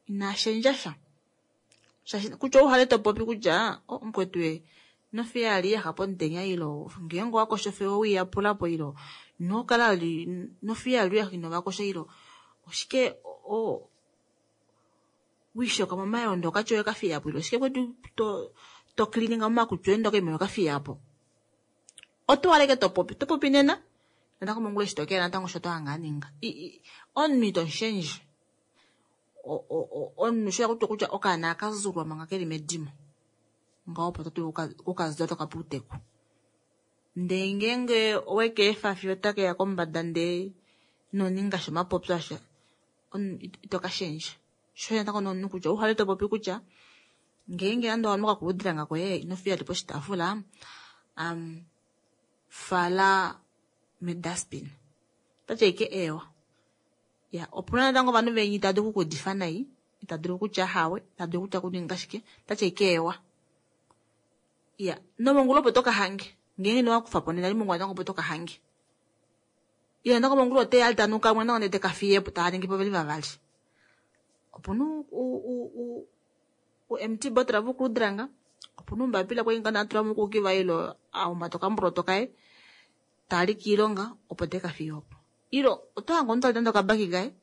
[SPEAKER 1] ina shendja sha. Shaashi kutya ouhale topopi kutya oh, mukwetu e nofiya ali yaxa pomutenya ilo ngeenge owakosha ofewa owiiyapulapo ilo inokala ali nofiya ali yaxa inovakosha ilo oshike o wiishoka momayondo okatya oyo kafiyapo ilo oshike kwetu to to cleaninga momakutwi oye ndoka ime okafiyapo. Oto waleke topopi topopi nena natango mongula eshi tokeya natango osho tohanga aninga. Omunhu ito mushendje. Omunhu sho yakutya kutya okaana akazulwa manga keli medimo ngaho opo to dulu okukazula tokape outeku. Ndee ngeenge owekeefa fiyo otakeya kombada ndee inoninga sha omapopyo asha ito kashendja. Sho natango nomunhu kutya ouhale topopi kutya ngeenge nande owanwa okakuludilanga koye inofiya li poshitaafula um, fala medustbin. Otati ashike eewa. Ya, opuna natango ovanhu venyi itava dulu okukuudifa nai, ita dulu okutya hawe, ita dulu okutya kuninga shike, otati ashike eewa. Ya, nomongula opo toka hange ngeenge inowakufa po nena mongula natango opo toka hange. Ile natango mongula oteya ali tanuka mwe natango ndee teka fiyepo tava ningi po veli vavali. Opuna u u empty bottle vokuludilanga, opuna oumbapila kwali nga atula mokukiva ilo ahumbata okamboloto kaye tali kiilonga opo teka fiye opo. Ilo oto hange omuntu ali nande okabaki kaye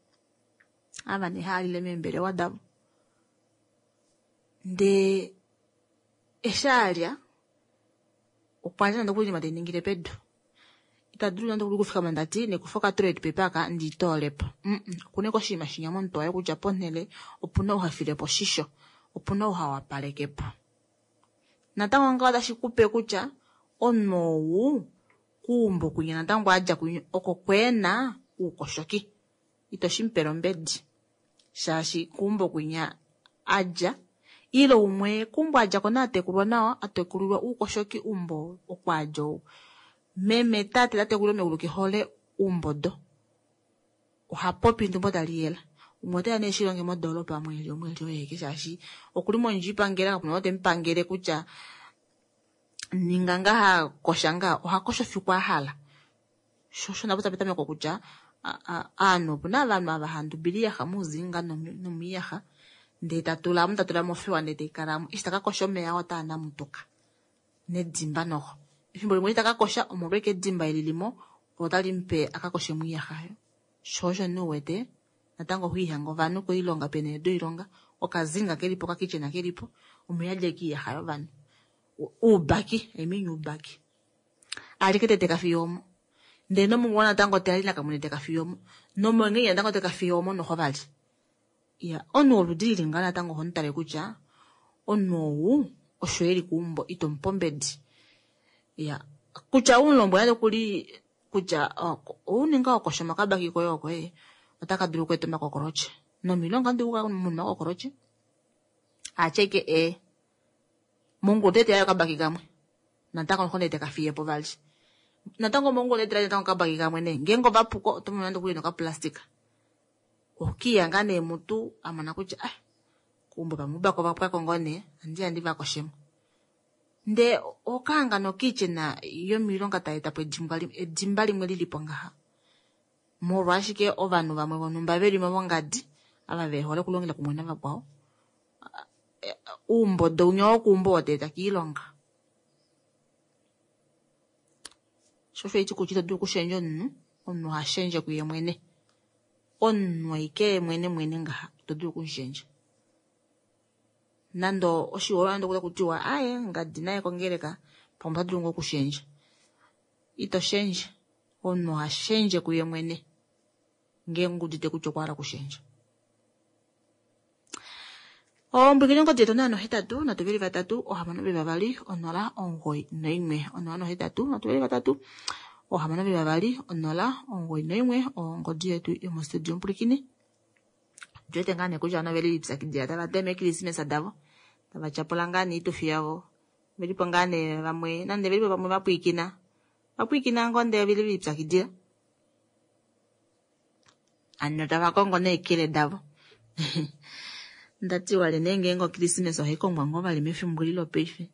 [SPEAKER 1] ava nee haalile meembelewa davo. Ndee eshi alya okwalya nande okuli oinima teiningile pedu. Ita dulu nande okufikama ndati nekufa okatoilet paper aka ndiitoolepo. Okuna ashike oshinima shinya momutwe waye kutya ponhele opuna ou hafilepo oshisho, opuna ou hawapalekepo. Natango ngaho otashi kupe kutya omunhu ou kuumbo kwinya natango adja kwinya oko kweena oukoshoki. Ito shimupele ombedi shaashi kuumbo kwinya adja ile umwe kuumbo adja ko naatekulwa nawa atekulilwa oukoshoki umbo okwaadja ou. Meme tate tatekulilwa meulu kehole oumbodo. Oha popi ndumbo tali yela. Umwe oteya nee shilonge modoolopa mweli omweli oyeke shaashi okuli mondjila ipangela kapuna oo temupangele kutya ninga ngaha kosha ngaha oha kosho fiku a hala. Sho osho napo tapetameko kutya aanhu opuna ovanhu ava handubila iyaxa muuzinga nomiiyaxa ndee tatulamo tatulamo ofewa ndee taikalamo eshi takakosha omeya oo otaa namutuka nedimba noho. Efimbo limwe eshi takakosha omolweke edimba eli lilimo otali mupe akakoshe moiyaxa oyo. Sho osho nee uwete natango ohiihanga ovanhu koilonga peenhele doilonga okazinga kelipo okakitchen kelipo omuyadja ashike oiyaxa yovanhu. Oubaki, I mean oubaki. Alike tete kafiya omo. Ndee nomongula natango teya nakamwene teka fiya omo. Nomongenya natango teka fiya omo noho vali. Ya, omunhu woludi lili ngaho natango oho mu tale kutya omunhu ou osho eli keumbo ito mu pe ombedi. Ya, kutya umulombwela nokuli kutya ouninga okosha omakabaki koye oko ee otaka dulu okweeta omakokoloche. Nomilonga ndi uka muna omakokoloche. Acheke e mongulu tete yayo kabaki kamwe. Natango nkhonde teka fiye po vali. Natango mongulu tete natango kabaki kamwe ne. Ngengo vapuko oto mono nokuli noka plastika. Okiya nga nee mutu amona kutya ah kumbo pamubako vapwako ngoo nee andi andi vakoshemo. Nde okaanga nokichena yomilonga tayi eta po edimba limwe lilipo ngaha. Molwashike ovanhu vamwe vonhumba veli mo vongadi ava ve hole okulongela kumwe navakwao. Uumbodo unya wokuumbo woteeta kiilonga. Sho osho iti kutya ito dulu okushendja omunhu, omunhu oha shendje kuye mwene. Omunhu aike mwene mwene ngaha ito dulu okumushendja. Nando oshiholelwa nando kuta kutiwa aye ngadi naye kongeleka pamwe ota dulu ngoo okushendja. Ito shendje, omunhu oha shendje kuye mwene ngeenge udite kutya okwa hala okushendja. Ombwikini ongodi yetu onola nohetatu nhatu veli vatatu ohamano veli vavali onola omugoyi noimwe. Onola nohetatu nhatu veli vatatu ohamano veli vavali onola omugoyi noimwe ongodi yetu yomostudio Omupulikini. Tuwete ngaa nee kutya veli lipyakidila tava tema eekrismesa davo tava tyapula ngaa niitufi yavo velipo ngaa nee vamwe nande velipo vamwe vapwiikina vapwiikina ngoo ndee veli lipyakidila ano tava kongo neekele davo. Ndati wale nee ngeenge okrismesa ohai kongwa ngoo vali mefimbo eli lopaife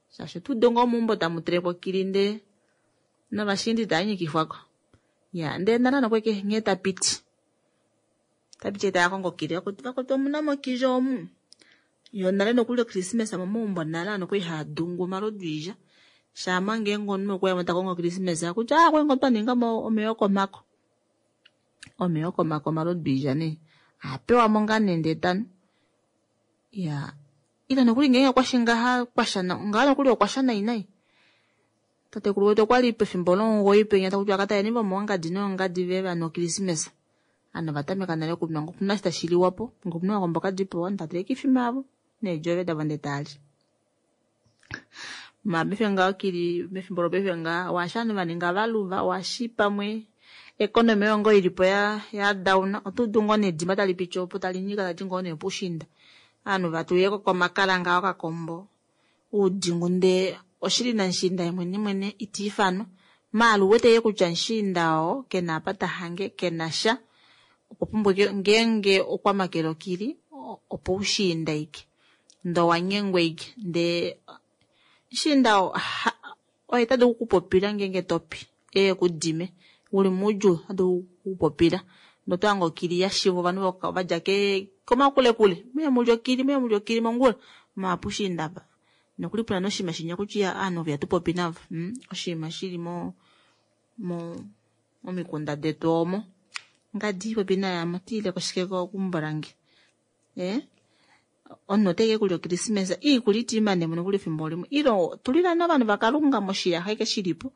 [SPEAKER 1] shaashi otuude ngoo meumbo tamu telekwa okili ndee novashindi tava nyikifwako. Ya ndee nala nokweke nghee tapiti tapiti taya kongo okili vakuti omuna mokili omu yo nale nokuli okrismesa momaumbo nale ano kwali haadungu omalodu iidja shaama ngeenge omunhu okwaya ta kongo okrismesa kutya ah kwali twa ninga mo omeya okomako omeya okomako omalodu iidja nee apewamo ngaa nee ndee tanu. Ya, ila nokuli ngeenge okwasha ngaha kwasha ngaha nokuli okwasha nai nai. Tatekulu wetu okwali pefimbo lomugoyi penya takuti akataleni vomoongadi noongadi ve vanhu okrismesa. Ano vatameka nale okunwa ngokuna shi tashi liwapo ngokuna okakombo kadipo ovanhu tava ifima yavo needjove davo ndee tali. Ma paife ngaho kili mefimbo lopaife ngaha washa ovanhu vaninga valuva washi pamwe ekonomi oyo ngoo ilipo ya ya down otuudu ngoo nedimba tali piti opo tali nyika tali ngoo nee pushinda. Ovanhu vatulileko komakala ngaho okakombo uudingu ndee oshili namushiinda ye mwene mwene ita ifanwa maala uwete ye kutya mushiinda oo kena apa tahange kena sha okwa pumbwa ngeenge okwa makela okili opo ushiinda ike ndee owanyengwa ike ndee mushiinda oo oye tadulu okukupopila ngeenge topi eye kudime uli moudjuu otadulu okukupopila ndee otwahange okili yashivwa ovanhu vadja komakulekule muye mulye okili muye mulye okili mongula maapushiinda apa nokuli puna noshinima shinya kutya ovanhu ihatu navo oshinima shili mo mo momikunda detu omo ngadi popi nayamo tiile koshike keumbo lange eh omunhu oteke kulya okrismesa iikulya itiimane mo nokuli efimbo limwe ilo tulila novanhu vakalunga moshiyaxa eke shilipo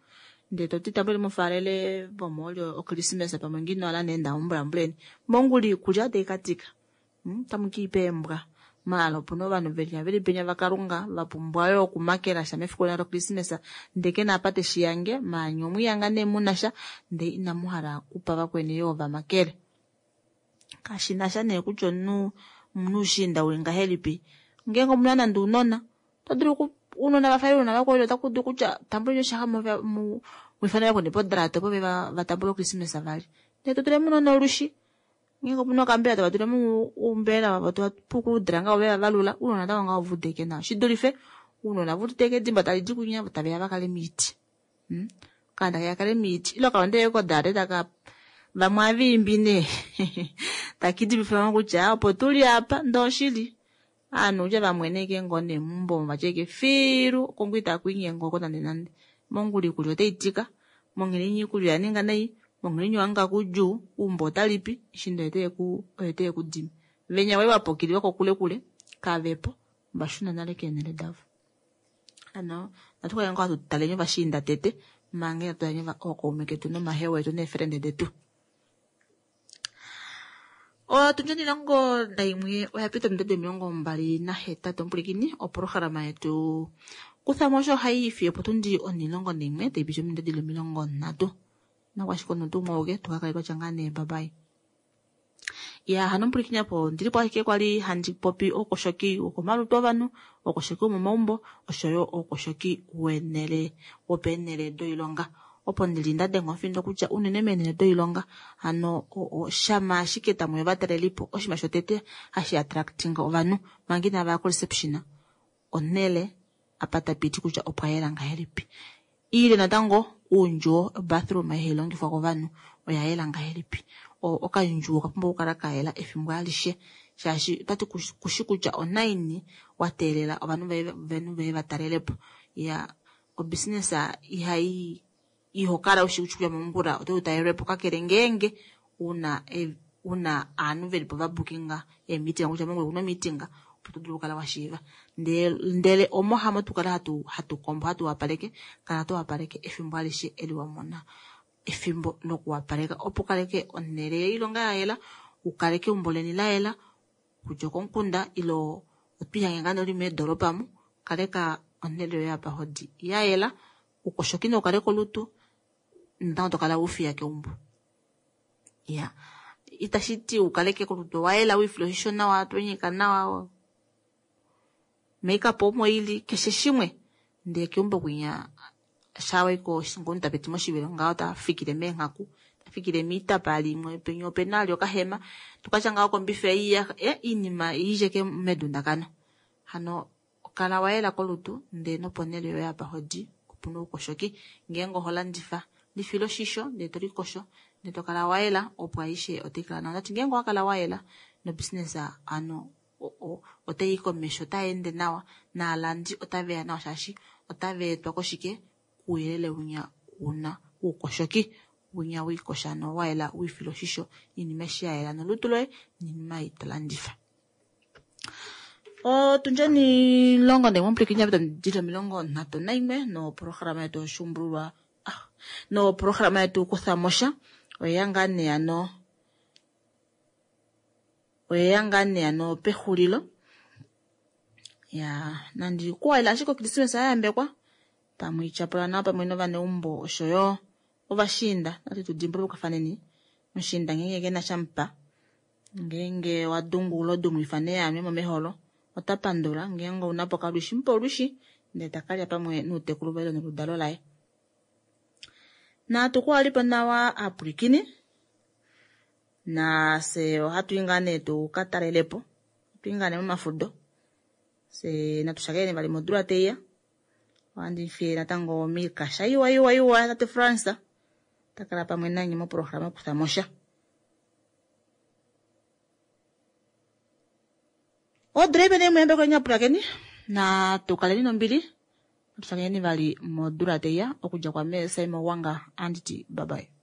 [SPEAKER 1] ndee toti tambuleni mufaalele vomoolya okrismesa pamwe ngino ala nee ndamumbulambuleni mongula iikulya otai katika tamu kiipa eembwa maala opuna ovanhu veli veli penya vakalunga vapumbwa yo okumakela sha mefiku lokrismesa ndee kena apa teshiyange maanyi omwiyanga nee munasha ndee inamu hala okupa vakweni yoo vamakele. Kashinasha nee kutya omunhu omunhu ushiinda uli ngahelipi ngeenge omuna nande ounona oto dulu ounona vafa ounona vakweni otaku dulu kutya tambuleni oshiyaxa mwifane vakweni podrata opo vatambule okrismesa vali ndee totulemo unona olushi ngeenge opuna okambela tava tulemo umbela wavo tova ngaho veva valula ounona natango ngaho vudeke nawa shidulife ounona vudeke edimba tali di kunya taveya vakale miiti okaana takeya kale miiti ile okalonde kodrate taka vamwe aviimbi nee takidimifamo kutya opo tuli apa ndee oshili ovanhu kutya vamweneke ngoo nee meumbo vatya filu kongo itaku oko nande nande mongula iikulya otaitika monghela iikulya oyaninga nai monghela wahanga kudjuu eumbo otalipi shinda oye teye venya wali vapokili vokokulekule kavepo vashuna nale keenhele davo. Ano natu kale ngoo hatu taleni ovashiinda tete manga inatu taleni ookaume ketu nomahewa etu neefrende detu. Otundi omilongo nayimwe oya pita ominute omilongo mbali nahetatu omupulikini opolohalama yetu kuthamo osho hayi ifi opotundi onilongo naimwe tayi piti ominute dhili omilongo ndatu nakwashike omuntu umwe tukakale twatya ngaa nee babayi. Ya hano omupulikini apo ndilipo ashike kwali handi popi oukoshoki wokomalutu ovanhu, oukoshoki womomaumbo oshoyo oukoshoki wenele wopeenele doilonga. Opo ndili nda denga omufindo kutya unene meenele doilonga hano shama ashike tamu ya ovatalelipo oshinima shotete hashi attractinga ovanhu manga inava ya koreception onhele apa tapiti kutya opwa yela ngahelipi. Ile natango uundjuwo bathroom hayi longifwa kovanhu oya yela ngahelipi. Okandjuwo okapumbwa okukala kayela efimbo alishe shaashi otati kushi kutya onaini wa teelela ovanhu veye va talelepo. Ya obusiness ihai ihokala ushi kutya mongula oto talelwepo kakele ngeenge una una aanhu velipo va bookinga eemeeting kutya mongula okuna meeting opo to dulu okukala wa shiiva. Ndele omo hamo tukala hatu hatu kombo hatu wapaleke kala to wapaleke efimbo alishe eli wa mona efimbo lokuwapaleka opo ukaleke onhele yoilonga ya yela, ukaleke eumbo leni la yela kutya okomukunda ilo otwiihange ngaa noli meedolopa mu kaleka onhele yoye apa hodi ya yela, ukoshoki noukale kolutu natango tokala ufiya keumbo. Ya itashi ti ukaleke kolutu wa yela wiifile oshisho nawa tonyika nawa makeup omo ili keshe shimwe ndee keumbo kwinya shawaiko ngomuntu tapiti moshivelo ngaho tafikile meenghaku tafikile miitapa limwe penya opena ali okahema tukatya ngaho kombifa iya iinima iidjeke medundakano. Hano kala wa yela kolutu ndee noponhele yoye apa hodi opuna oukoshoki. Ngeenge oho landifa lifila oshisho ndee to likosho ndee to kala wa yela opo aishe otai kala nawa. Ndati ngeenge owa kala wa yela nobusiness ano otai komesho otai ende nawa naalandi otaveya nawa shaashi otava etwa koshike kuuyelele winya una uukoshoki winya wiikosha no wayela wiifila oshisho iinima eshi ya yela nolutu loye niinima ei to landifa. Otundjeni longo naimwe omupulikini yapita dili omilongo nhatu naimwe nopolohalama yetu yoshuumbululwa ah, nopolohalama yetu kuthamosha oyeya ngaa nee ano oyeya ngaa nee ano pexulilo. Ya nandi kuwalela ashike okrismesa ya yambekwa pamwe ityapula nawa pamwe novaneumbo oshoyo ovashiinda nati tudimbulukafaneni mushiinda ngeenge kena shamupa ngeenge wadungu lodumwifa neyanwe momeholo ota pandula ngeenge ounapo kalwishi mupe olwishi ndee takalya pamwe nuutekulu vaye noludalo laye. Natu kuwalipo nawa apulikini nase ohatu i ngaa nee tuka talelepo hatu i ngaa nee momafudo se natu shakene vali modula teiya. Ohandi fiye natango miikasha iwa iwa iwa tate France takala pamwe nanye mopolohalama kuthamosha. Odula ipe neimwe yambeko nyapulakeni natu kaleni nombili natu shakeneni vali modula teiya okudja kwa me Simon Wanga anditi bye bye.